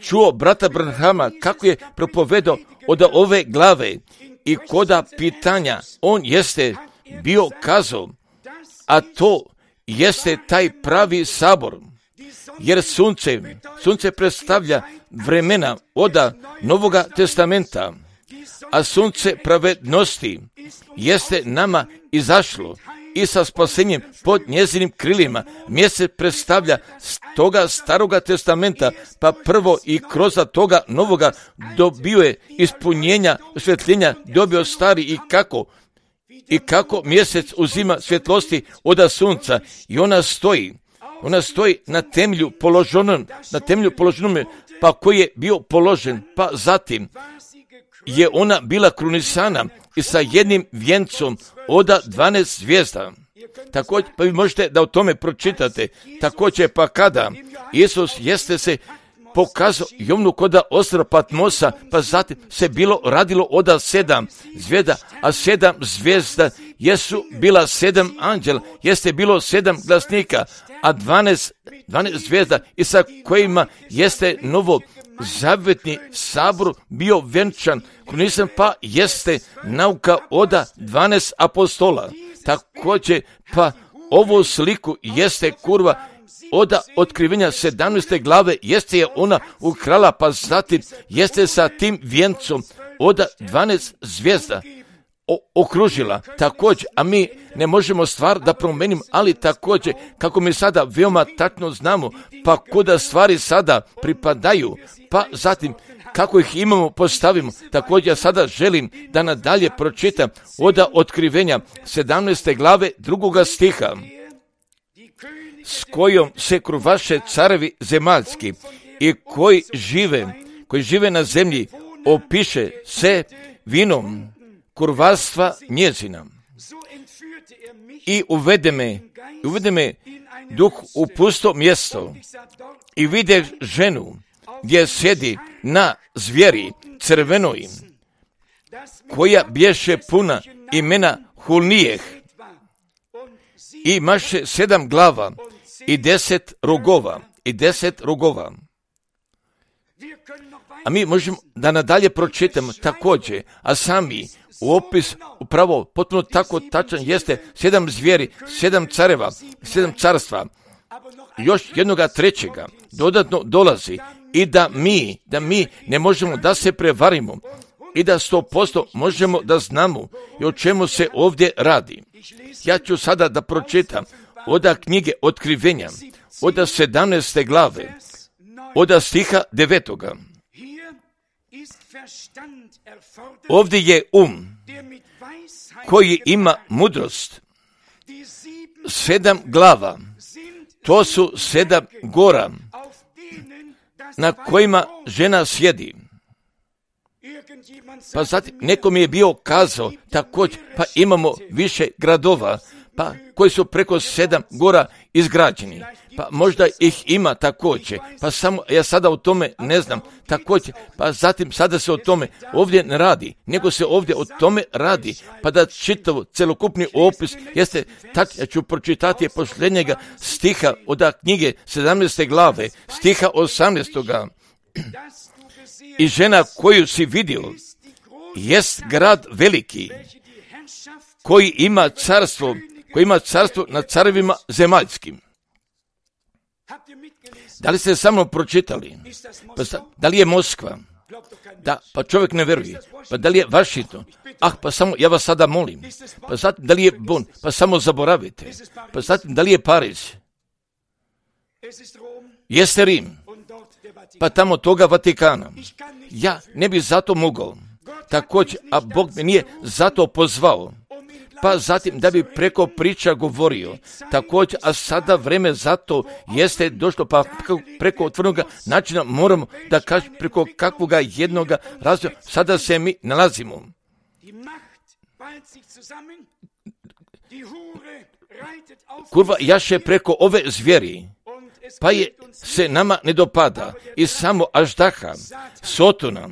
čuo brata Branhama kako je propovedao od ove glave i koda pitanja on jeste bio kazao, a to jeste taj pravi sabor, jer sunce, sunce predstavlja vremena od Novoga testamenta, a sunce pravednosti jeste nama izašlo i sa spasenjem pod njezinim krilima. Mjesec predstavlja toga staroga testamenta, pa prvo i kroz toga novoga dobio je ispunjenja, osvjetljenja, dobio stari i kako i kako mjesec uzima svjetlosti od sunca i ona stoji, ona stoji na temelju položenom, na temelju položenom, pa koji je bio položen, pa zatim je ona bila krunisana i sa jednim vjencom od dvanaest zvijezda. Također, pa vi možete da o tome pročitate. Također, pa kada Isus jeste se pokazao Jovnu kod ostrva Patmosa, pa zatim se bilo radilo od sedam zvijezda, a sedam zvijezda jesu bila sedam anđela, jeste bilo sedam glasnika, a dvanaest, dvanaest zvijezda i sa kojima jeste novo zavjetni sabor bio venčan, krunisan, pa jeste nauka od dvanaest apostola. Također, pa ovu sliku jeste kurva od otkrivenja sedamnaeste glave, jeste je ona ukrala, pa zatim jeste sa tim vjencom od dvanaest zvijezda o, okružila. Također, a mi ne možemo stvar da promenimo, ali također, kako mi sada veoma tačno znamo, pa kuda stvari sada pripadaju, pa zatim kako ih imamo, postavimo. Također, ja sada želim da nadalje pročitam od otkrivenja sedamnaeste glave drugoga stiha, s kojom se kruvaše carevi zemaljski i koji žive, koji žive na zemlji, opiše se vinom kurvarstva njezina. I uvede me, uvede me duh u pusto mjesto i vide ženu gdje sjedi na zvijeri crvenoj, koja bješe puna imena hulnijeh i maše sedam glava i deset rogova i deset rogova. A mi možemo da nadalje pročitamo također, a sami u opis upravo potpuno tako tačan jeste sedam zvijeri, sedam careva, sedam carstva, još jednoga trećega dodatno dolazi i da mi, da mi ne možemo da se prevarimo i da sto posto možemo da znamo i o čemu se ovdje radi. Ja ću sada da pročitam od knjige Otkrivenja, od sedamnaeste glave, od stiha devetoga. Ovdje je um koji ima mudrost, sedam glava, to su sedam gora na kojima žena sjedi. Pa zatim nekom je bio kazao također, pa imamo više gradova, pa koji su preko sedam gora izgrađeni, pa možda ih ima također, pa samo ja sada o tome ne znam također, pa zatim sada se o tome ovdje ne radi, nego se ovdje o tome radi, pa da čitav celokupni opis jeste, tak ja ću pročitati posljednjega stiha od knjige sedamnaeste glave, stiha osamnaestoga. I žena koju si vidio jest grad veliki, koji ima carstvo, koji ima carstvo nad carevima zemaljskim. Da li ste sa mnom pročitali? Pa, da li je Moskva? Da, pa čovjek ne vjeruje. Pa da li je Washington? Ah, pa samo, ja vas sada molim. Pa zatim, da li je Bonn? Pa samo zaboravite. Pa zatim, da li je Pariz? Jeste Rim? Pa tamo toga Vatikana. Ja ne bi zato mogao. Također, a Bog me nije zato pozvao. Pa zatim da bi preko priča govorio. Također, a sada vreme zato jeste došlo, pa preko otvornog načina moramo da kažem preko kakvoga jednoga razvoja sada se mi nalazimo. Kurva jaše preko ove zvijeri, pa je se nama ne dopada i samo Aždaha, Sotona,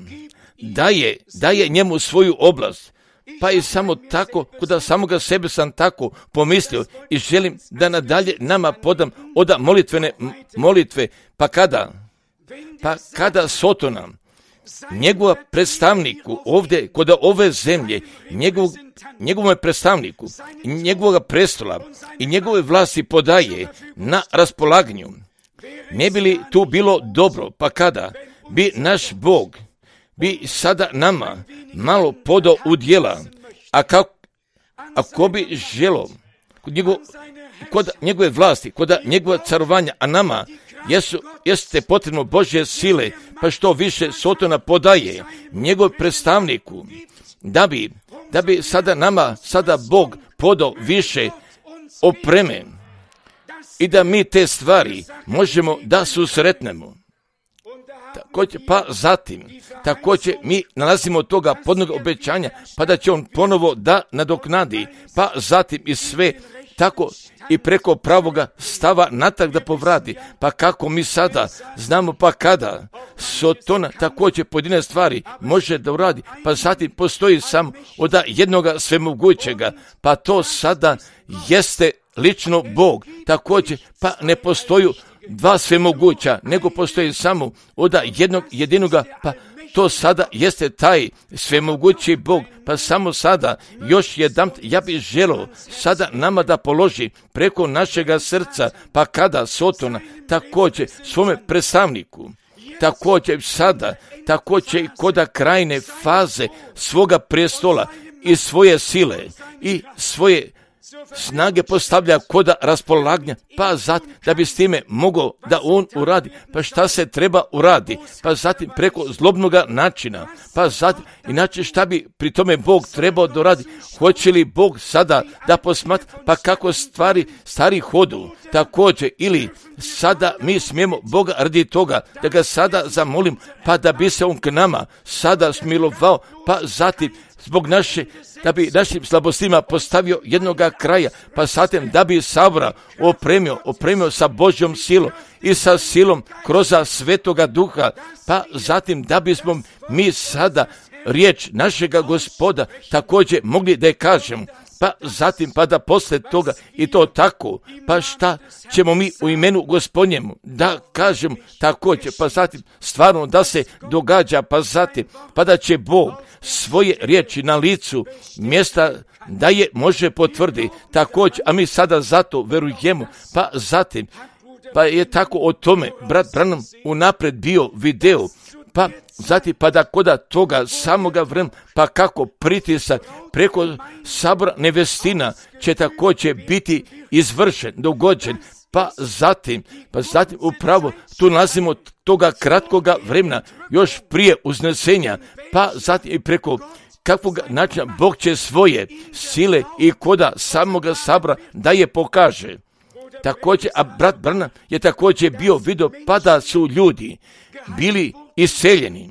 daje, daje njemu svoju oblast. Pa i samo tako, kuda samoga sebe sam tako pomislio i želim da nadalje nama podam oda molitvene molitve. Pa kada? Pa kada Sotona, njegova predstavniku ovdje, kod ove zemlje, njegov, njegovom predstavniku, njegovog prestola i njegove vlasti podaje na raspolaganju, ne bi li tu bilo dobro? Pa kada bi naš Bog bi sada nama malo podao u djela, a kako, ako bi želo kod, njegov, kod njegove vlasti, kod njegova carovanja, a nama jesu, jeste potrebno Božje sile, pa što više Sotona podaje njegov predstavniku, da bi, da bi sada nama, sada Bog podao više opreme i da mi te stvari možemo da susretnemo. Također, pa zatim, također mi nalazimo toga podnog obećanja, pa da će on ponovo da nadoknadi, pa zatim i sve tako i preko pravoga stava natrag da povrati. Pa kako mi sada znamo, pa kada Sotona također pojedine stvari može da uradi, pa zatim postoji samo od jednoga svemogućega, pa to sada jeste lično Bog. Također, pa ne postoju dva svemoguća, nego postoji samo od jednog jedinoga, pa to sada jeste taj svemogući Bog. Pa samo sada, još jedan, ja bih želio sada nama da položi preko našega srca, pa kada Sotona također svome predstavniku, također sada, također i koda krajne faze svoga prestola i svoje sile i svoje snage postavlja koda raspolaganja, pa zatim da bi s time mogao da on uradi, pa šta se treba uradi, pa zatim preko zlobnoga načina, pa zatim, inače šta bi pri tome Bog trebao da uradi, hoće li Bog sada da posmatra, pa kako stvari stari hodu, također, ili sada mi smijemo Boga radi toga, da ga sada zamolim, pa da bi se on k nama sada smilovao, pa zatim zbog naše, da bi našim slabostima postavio jednoga kraja, pa zatim da bi sabora opremio, opremio sa Božjom silom i sa silom kroz Svetoga Duha, pa zatim da bismo mi sada riječ našega Gospoda također mogli da je kažemo, pa zatim pa da posle toga i to tako, pa šta ćemo mi u imenu Gospodnjemu da kažemo također, pa zatim stvarno da se događa, pa zatim pa da će Bog svoje riječi na licu mjesta da je može potvrdi također, a mi sada zato verujemo, pa zatim pa je tako o tome brat Branham unapred bio video, pa zatim pa da koda toga samoga vremena, pa kako pritisak preko sabora nevestina će također biti izvršen, dogođen, pa zatim, pa zatim upravo tu nalazimo toga kratkoga vremena, još prije uznesenja, pa zatim i preko kakvog načina Bog će svoje sile i koda samoga sabora da je pokaže. Također, a brat Branham je također bio vidio pa da su ljudi bili iseljeni.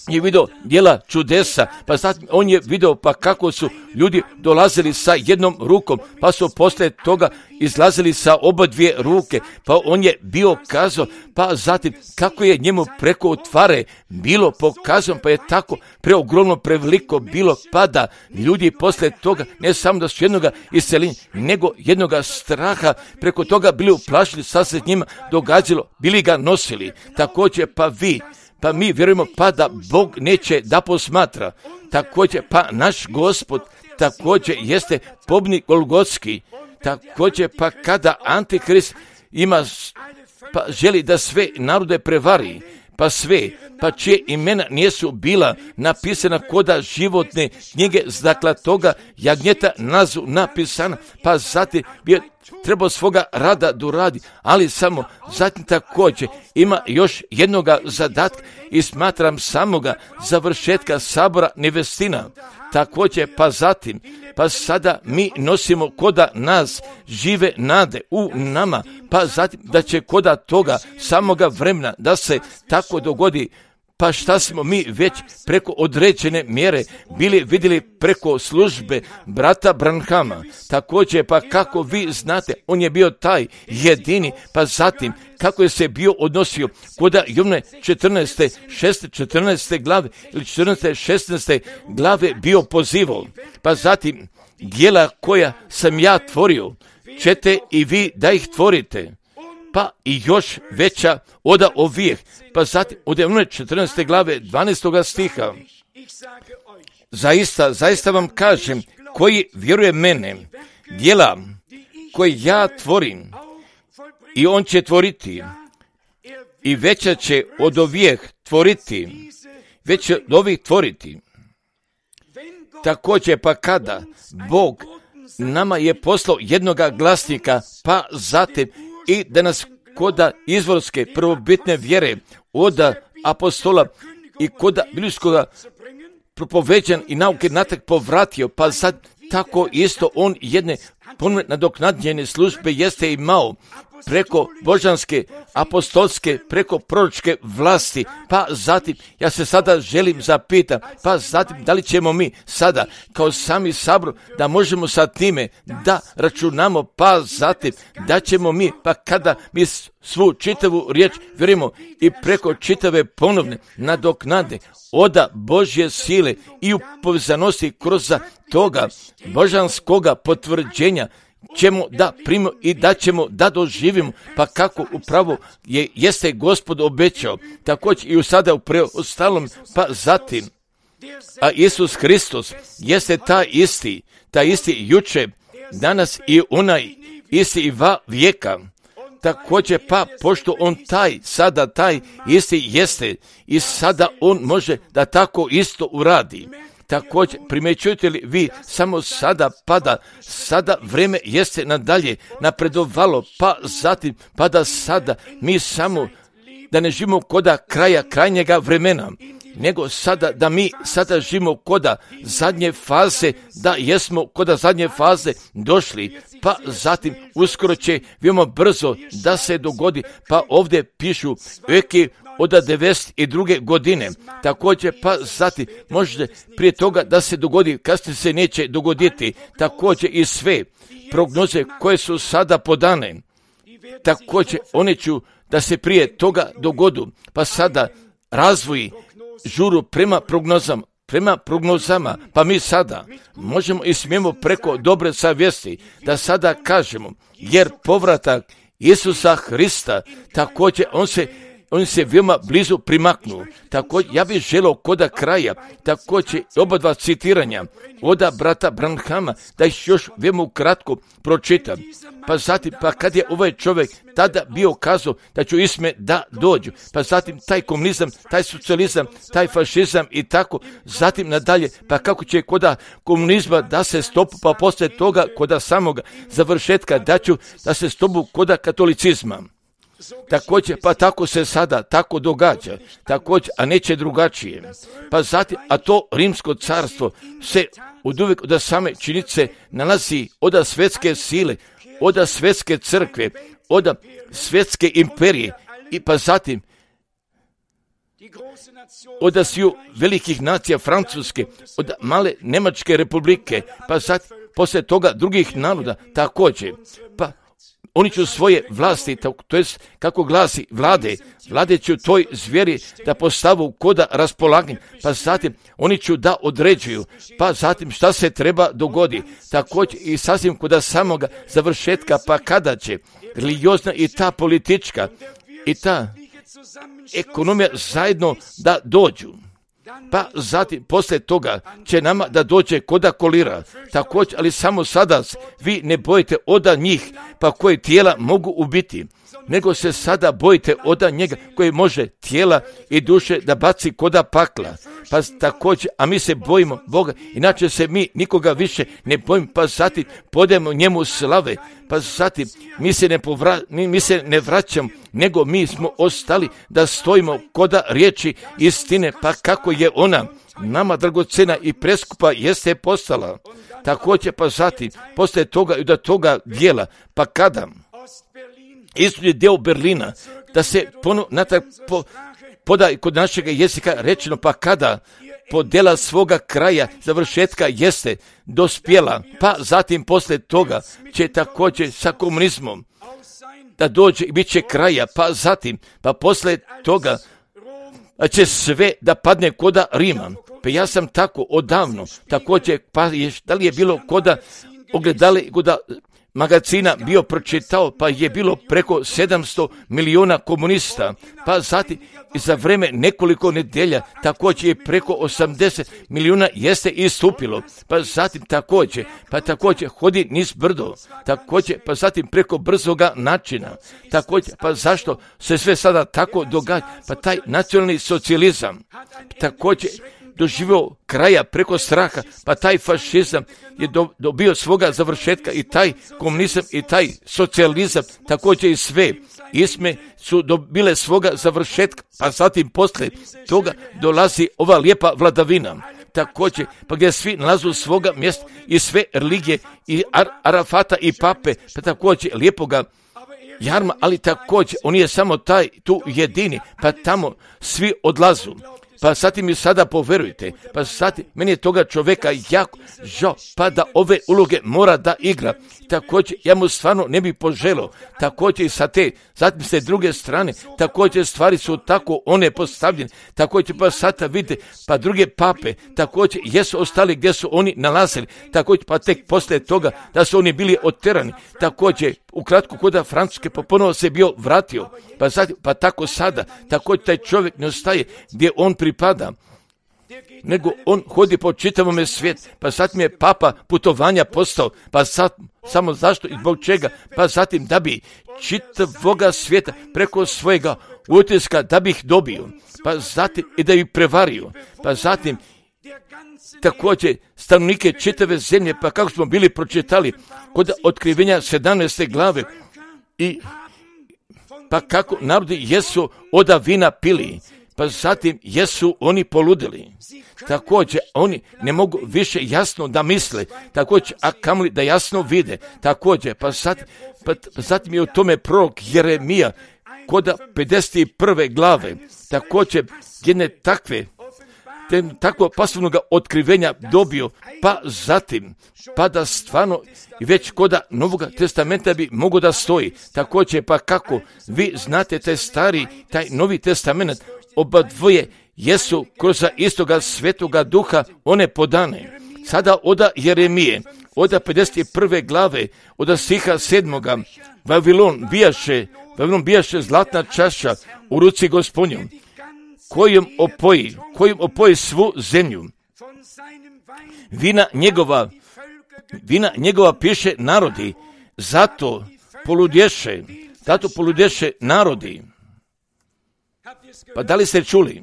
Je vidio djela čudesa, pa zatim on je vidio pa kako su ljudi dolazili sa jednom rukom, pa su poslije toga izlazili sa oba dvije ruke, pa on je bio kazao, pa zatim kako je njemu preko otvare bilo pokazano, pa je tako preogromno preveliko bilo, pa da ljudi poslije toga ne samo da su jednoga iseljenja, nego jednoga straha preko toga bili uplašili, sad se njima događalo, bili ga nosili. Također pa vi, pa mi vjerujemo pa da Bog neće da posmatra. Također pa naš Gospod također jeste pobnik Golgotski. Također pa kada Antikrist ima, pa želi da sve narode prevari, pa sve, pa čije imena nisu bila napisana koda životne knjige, dakle toga jagnjeta nazu napisana, pa zatim bi trebao svoga rada doradi, ali samo zatim također ima još jednoga zadatka i smatram samoga završetka sabora nevestina. Također pa zatim, pa sada mi nosimo koda nas žive nade u nama, pa zatim da će koda toga samoga vremena da se tako dogodi. Pa šta smo mi već preko određene mjere bili vidjeli preko službe brata Branhama. Također pa kako vi znate, on je bio taj jedini, pa zatim kako je se bio odnosio koda Jovne četrnaeste, šeste, četrnaeste glave ili četrnaeste, šesnaeste glave bio pozivao. Pa zatim djela koja sam ja tvorio, ćete i vi da ih tvorite. Pa i još veća oda ovih, pa zatim od četrnaeste glave dvanaestoga stiha. Zaista, zaista vam kažem, koji vjeruje mene, djela koje ja tvorim, i on će tvoriti, i veća će od ovih tvoriti, već od ovih tvoriti. Također pa kada Bog nama je poslao jednoga glasnika, pa zatim i da nas koda izvorske prvobitne vjere od apostola i koda biblijskoga propoveđan i nauke natrag povratio, pa sad tako isto on jedne ponovne nadoknadljene službe jeste imao preko božanske, apostolske, preko proročke vlasti, pa zatim, ja se sada želim zapitam, pa zatim, da li ćemo mi sada, kao sami sabor, da možemo sa time da računamo, pa zatim, da ćemo mi, pa kada mi svu čitavu riječ vjerujemo i preko čitave ponovne nadoknade oda Božje sile i u povezanosti kroz toga božanskoga potvrđenja, ćemo da primimo i da ćemo da doživimo, pa kako upravo je, jeste Gospod obećao, također i u sada u preostalom, pa zatim, a Isus Hristos jeste taj isti, taj isti juče, danas i onaj isti i va vijeka. Također pa, pošto on taj, sada taj isti jeste i sada on može da tako isto uradi. Također, primjećujete li vi samo sada pada, sada vrijeme jeste nadalje napredovalo, pa zatim pada sada mi samo da ne živimo koda kraja krajnjega vremena, nego sada da mi sada živimo koda zadnje faze, da jesmo koda zadnje faze došli, pa zatim uskoro će veoma brzo da se dogodi, pa ovdje pišu eki od devedeset druge godine, također pa zatim možda prije toga da se dogodi, kasnije se neće dogoditi, također i sve prognoze koje su sada podane, također one ću da se prije toga dogodu, pa sada razvoji žuru prema prognozama, prema prognozama, pa mi sada možemo i smijemo preko dobre savjesti da sada kažemo, jer povratak Isusa Hrista, također on se on se veoma blizu primaknuo. Također, ja bih želio koda kraja, također oba dva citiranja oda brata Branhama, da ih još veoma ukratko pročitam. Pa zatim, pa kad je ovaj čovjek tada bio kazao da ću isme da dođu, pa zatim taj komunizam, taj socijalizam, taj fašizam i tako, zatim nadalje, pa kako će koda komunizma da se stopu, pa poslije toga koda samoga završetka da ću da se stopu koda katolicizma. Također, pa tako se sada tako događa, također, a neće drugačije. Pa zatim, a to rimsko carstvo se od uvijek od same činice nalazi od svjetske sile, od svjetske crkve, od svjetske imperije i pa zatim od sviju velikih nacija Francuske, od male Njemačke republike, pa zatim poslije toga drugih naroda također, pa oni će svoje vlasti, to jest kako glasi vlade, vlade će toj zvijeri da postavu koda raspolaganja, pa zatim oni će da određuju, pa zatim šta se treba dogodi, također i sasvim koda samoga završetka, pa kada će religiozna i ta politička i ta ekonomija zajedno da dođu. Pa zatim, poslije toga će nama da dođe koda kolira, također, ali samo sada vi ne bojite oda njih, pa koje tijela mogu ubiti, nego se sada bojite oda njega koji može tijela i duše da baci koda pakla. Pa također, a mi se bojimo Boga, inače se mi nikoga više ne bojimo, pa zatim podajemo njemu slave, pa zatim mi se ne, povra, mi se ne vraćamo, nego mi smo ostali da stojimo koda riječi istine, pa kako je ona nama dragocena i preskupa jeste postala. Također, pa zatim, poslije toga i do toga dijela, pa kada isto je deo Berlina, da se ponovno natrag po, poda kod našega jezika rečeno, pa kada podjela svoga kraja završetka jeste dospjela, pa zatim poslije toga će također sa komunizmom da dođe i bit će kraja, pa zatim, pa poslije toga će sve da padne koda Rima. Pa ja sam tako odavno, također, pa je, da li je bilo koda ogledali, koda magazina bio pročitao, pa je bilo preko sedamsto milijuna komunista, pa zatim i za vreme nekoliko nedelja također je preko osamdeset milijuna jeste istupilo, pa zatim također, pa također hodi niz brdo, također, pa zatim preko brzoga načina, također, pa zašto se sve sada tako događa, pa taj nacionalni socijalizam, također, doživio kraja preko straha, pa taj fašizam je dobio svoga završetka i taj komunizam i taj socijalizam, također i sve isme su dobile svoga završetka, pa zatim poslije toga dolazi ova lijepa vladavina. Također, pa gdje svi nalazu svoga mjesta i sve religije i Ar- Arafata i pape, pa također lijepoga jarma, ali također on je samo taj tu jedini, pa tamo svi odlazu. Pa zatim mi sada poverujte, pa zatim meni je toga čovjeka jako žao, pa da ove uloge mora da igra. Također ja mu stvarno ne bi poželio, također i sa te, zatim s te druge strane, također stvari su tako one postavljene, također pa sada vidite, pa druge pape, također jesu ostali gdje su oni nalazili, također pa tek poslije toga da su oni bili oterani, također ukratko koda Francuske pa ponovo se bio vratio, pa, zatim, pa tako sada, također taj čovjek ne ostaje gdje on pripada, nego on hodi po čitavome svijetu, pa zatim je papa putovanja postao, pa sad, samo zašto i zbog čega, pa zatim da bi čitavoga svijeta preko svojega utiska da bi ih dobio, pa zatim i da ih prevario, pa zatim također stanovnike čitave zemlje, pa kako smo bili pročitali kod otkrivenja sedamnaeste glave, i pa kako narodi jesu oda vina pili, pa zatim jesu oni poludili. Također oni ne mogu više jasno da misle, također a kamoli da jasno vide, također pa zatim, pa, pa zatim je u tome prorok Jeremija koda pedeset prve glave, također jedne takve te, takvo pasivnog otkrivenja dobio, pa zatim, pa da stvarno već koda Novoga testamenta bi mogo da stoji. Također, pa kako vi znate taj stari, taj Novi testament, oba dvoje jesu kroz istoga svetoga duha one podane. Sada oda Jeremije, oda pedeset prve glave, oda stiha sedmoga, Vavilon bijaše, Vavilon bijaše zlatna čaša u ruci Gospodnjom, kojom opoji, kojom opoji svu zemlju. Vina njegova, vina njegova piše narodi, zato poludješe, zato poludješe narodi. Pa da li ste čuli?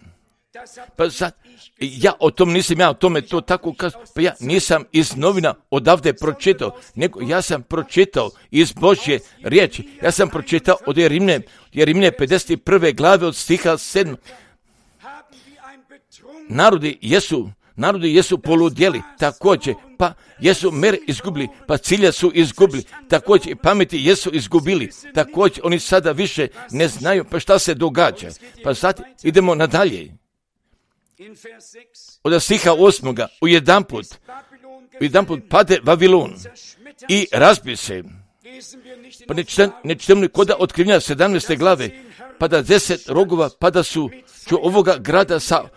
Pa sad, ja o tom nisam, ja o tome to tako kazao, pa ja nisam iz novina odavde pročitao, nego ja sam pročitao iz Božje riječi, ja sam pročitao od Jerimne, Jerimne pedeset prve glave od stiha sedam. Narodi jesu, narodi jesu poludjeli, također, pa jesu mer izgubili, pa cilja su izgubili, također i pameti jesu izgubili, također oni sada više ne znaju pa šta se događa. Pa zatim idemo nadalje. Od stiha osmoga, u jedan put, u jedan put pade Vavilon i razbije se. Pa ne čitamo koda otkrivenja sedamnaeste glave, pa da deset rogova, pa da su ću ovoga grada sa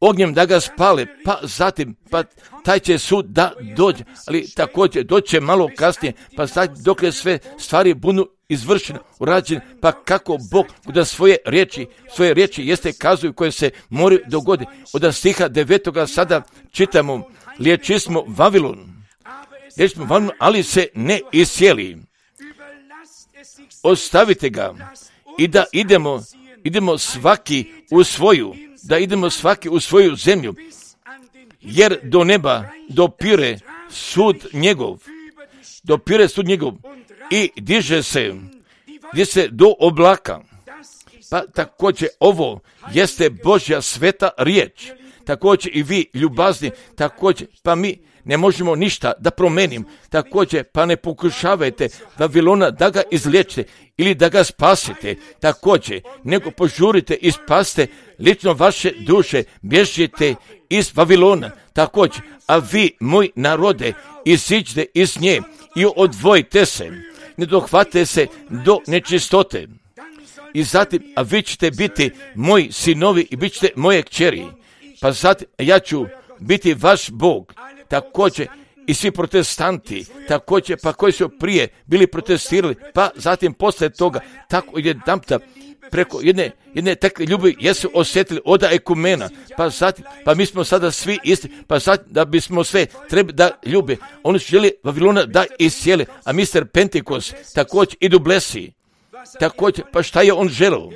ognjem da ga spale, pa zatim, pa taj će sud da dođe, ali također doće malo kasnije, pa zatim dok je sve stvari budu izvršene, urađene, pa kako Bog da svoje riječi, svoje riječi jeste kazuju koje se moraju dogoditi. Od stiha devetoga sada čitamo, liječismo Vavilon, liječismo Vavilon, ali se ne iscijeli. Ostavite ga i da idemo, idemo svaki u svoju, da idemo svaki u svoju zemlju, jer do neba dopire sud njegov, dopire sud njegov i diže se, diže se do oblaka. Pa također ovo jeste Božja sveta riječ, također i vi ljubazni, također pa mi ne možemo ništa da promenim, također pa ne pokušavajte Vavilona da ga izliječite ili da ga spasite, također nego požurite i spasite lično vaše duše, bježite iz Vavilona, također, a vi, moj narode, iziđite iz nje i odvojite se, ne dohvate se do nečistote. I zatim, a vi ćete biti moji sinovi i bit ćete moje kćeri, pa zatim ja ću biti vaš Bog, također i svi protestanti, također pa koji su prije bili protestirali, pa zatim poslije toga, tako jedanputa preko jedne, jedne takve ljubavi jesu osjetili oda ekumena, pa zatim, pa mi smo sada svi isti, pa zatim da bismo sve treba da ljube, oni su želi Vavilona da iscijele, a mister Pentekos također i Dublesi, također, pa šta je on želeo?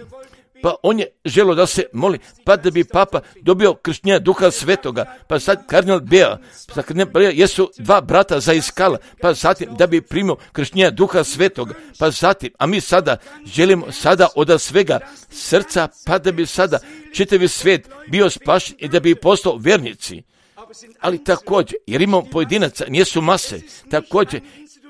Pa on je želio da se moli, pa da bi papa dobio krštenja Duha Svetoga, pa sad kardinal Bea, pa kardinal Bea jesu dva brata za iskala, pa zatim da bi primio krštenja Duha Svetoga, pa zatim, a mi sada želimo sada od svega srca, pa da bi sada čitavi svijet bio spašen i da bi postao vjernici. Ali također, jer imamo pojedinaca, nijesu mase, također,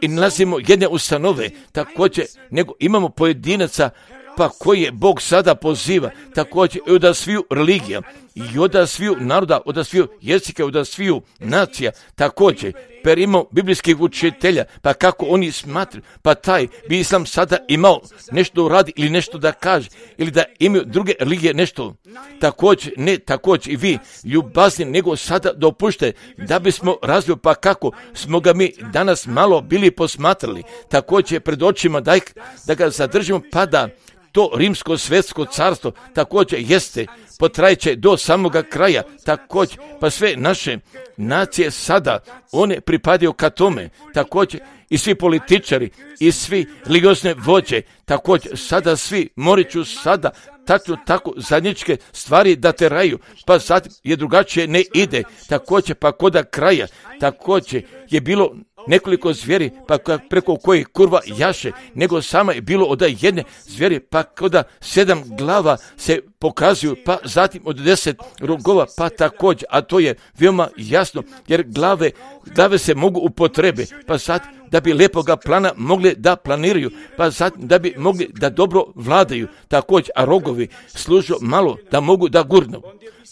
i nalazimo jedne ustanove, također, nego imamo pojedinaca, pa koji je Bog sada poziva, također i od sviju religija, i od sviju naroda, od sviju jezika, od sviju nacija, također, per imamo biblijskih učitelja, pa kako oni smatraju, pa taj bi islam sada imao nešto radi ili nešto da kaže, ili da imaju druge religije nešto, također, ne, također i vi, ljubazni, nego sada dopušte, da bismo razvili, pa kako smo ga mi danas malo bili posmatrali, također pred očima da, da ga zadržimo, pa da to rimsko svetsko carstvo također jeste, potrajeće do samoga kraja, također, pa sve naše nacije sada, one pripadaju ka tome, također i svi političari, i svi religiozne vođe, također sada svi moriću sada tačno tako zajedničke stvari da teraju, pa sad je drugačije ne ide, također pa koda kraja, također je bilo nekoliko zvijeri, pa preko kojih kurva jaše, nego sama je bilo od jedne zvijeri, pa koda sedam glava se pokazuju, pa zatim od deset rogova, pa također, a to je veoma jasno, jer glave, glave se mogu upotrebe, pa sad da bi lepoga plana mogli da planiraju, pa zatim da bi mogli da dobro vladaju, također, a rogovi služu malo da mogu da gurnu.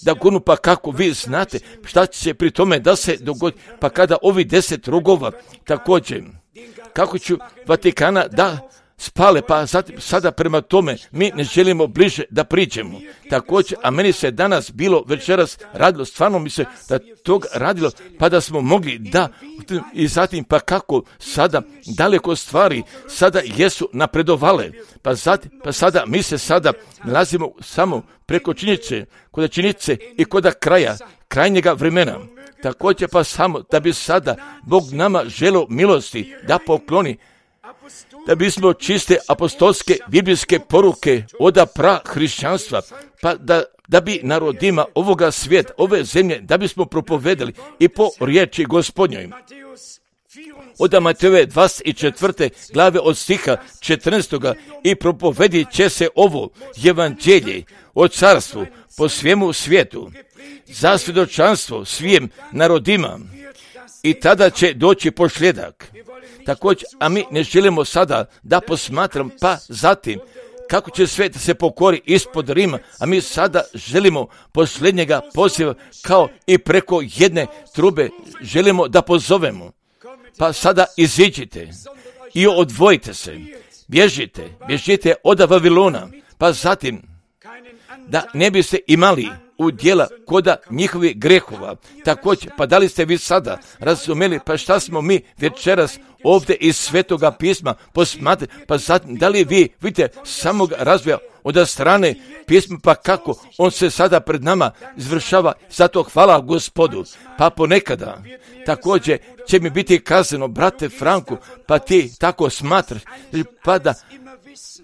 Da gurnu, pa kako vi znate šta će se pri tome da se dogodi, pa kada ovi deset rogova također, kako ću Vatikana da spale, pa zatim, sada prema tome mi ne želimo bliže da priđemo. Također, a meni se danas bilo večeras radilo, stvarno mi se da tog radilo, pa da smo mogli da, i zatim pa kako sada daleko stvari sada jesu napredovale, pa zatim, pa sada mi se sada nalazimo samo preko činjenice, kod činjenice i kod kraja, krajnjega vremena. Također pa samo da bi sada Bog nama želio milosti da pokloni, da bismo čiste apostolske biblijske poruke oda pra hrišćanstva, pa da, da bi narodima ovoga svijeta, ove zemlje, da bismo propovedali i po riječi Gospodnjoj. Od Matejove dvadeset četvrte glave od stiha četrnaestoga i propovedit će se ovo evanđelje o carstvu po svemu svijetu, za svjedočanstvo svim narodima, i tada će doći posljedak. Također, a mi ne želimo sada da posmatram, pa zatim kako će svijet se pokori ispod Rima, a mi sada želimo posljednjega poziva kao i preko jedne trube želimo da pozovemo. Pa sada iziđite i odvojite se, bježite, bježite od Vavilona, pa zatim da ne biste imali udjela koda njihovih grehova. Također, pa da li ste vi sada razumeli, pa šta smo mi večeras ovdje iz Svetoga pisma posmatrali, pa zatim da li vi vidite samog razvoja od strane pisma, pa kako on se sada pred nama izvršava, zato hvala Gospodu. Pa ponekada također će mi biti kazano, brate Franku, pa ti tako smatraš, pa da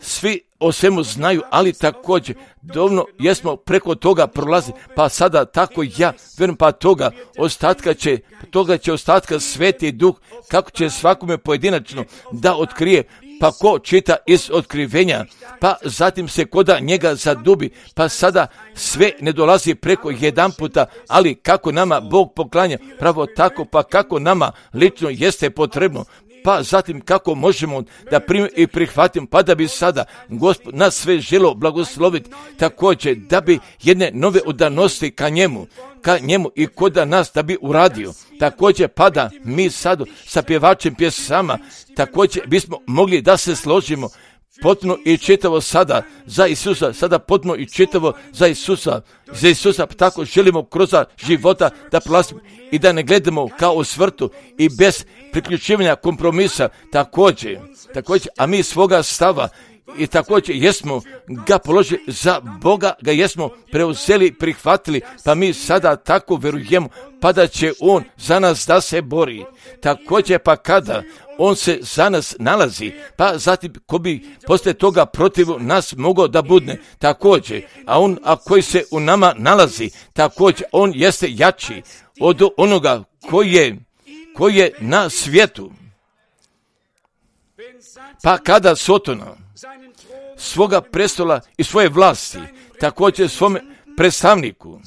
svi o svemu znaju, ali također dovoljno jesmo preko toga prolazi, pa sada tako ja vjerujem, pa toga ostatka će, toga će ostatka Sveti Duh, kako će svakome pojedinačno da otkrije, pa ko čita iz otkrivenja, pa zatim se koda njega zadubi, pa sada sve ne dolazi preko jedan puta, ali kako nama Bog poklanja, pravo tako, pa kako nama lično jeste potrebno, pa zatim kako možemo da primimo i prihvatimo, pa da bi sada Gospod nas sve želo blagosloviti, također da bi jedne nove udanosti ka njemu, ka njemu i koda nas da bi uradio. Također pa da mi sad sa pjevačem pjesama, također bismo mogli da se složimo potpuno i čitavo sada za Isusa, sada potpuno i čitavo za Isusa, za Isusa, tako želimo kroz života da prolazimo i da ne gledamo kao u svrtu i bez priključivanja kompromisa, također, također, a mi svoga stava i također jesmo ga položili za Boga, ga jesmo preuzeli, prihvatili, pa mi sada tako vjerujemo, pa da će On za nas da se bori. Također pa kada On se za nas nalazi, pa zatim ko bi poslije toga protiv nas mogao da budne, također, a On, a koji se u nama nalazi, također, On jeste jači od onoga koji je, koji je na svijetu. Pa kada Sotona svoga prestola i svoje vlasti, također svome predstavniku,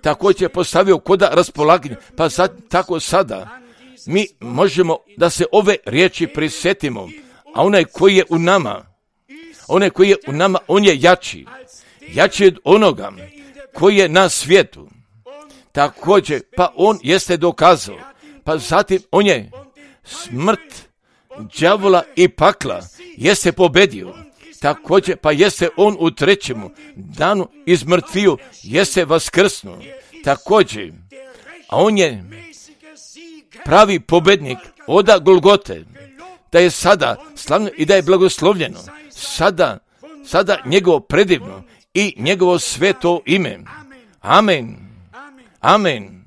također postavio koda raspolaganja, pa sad, tako sada mi možemo da se ove riječi prisjetimo, a onaj koji je u nama, onaj koji je u nama, on je jači, jači od onoga koji je na svijetu. Također, pa on jeste dokazao, pa zatim on je smrt, đavola i pakla jeste pobedio. Također, pa jeste on u trećemu danu iz mrtviju, jeste vaskrsnuo. Također, a on je pravi pobednik oda Golgote, da je sada slavno i da je blagoslovljeno. Sada, sada njegovo predivno i njegovo sveto ime. Amen. Amen.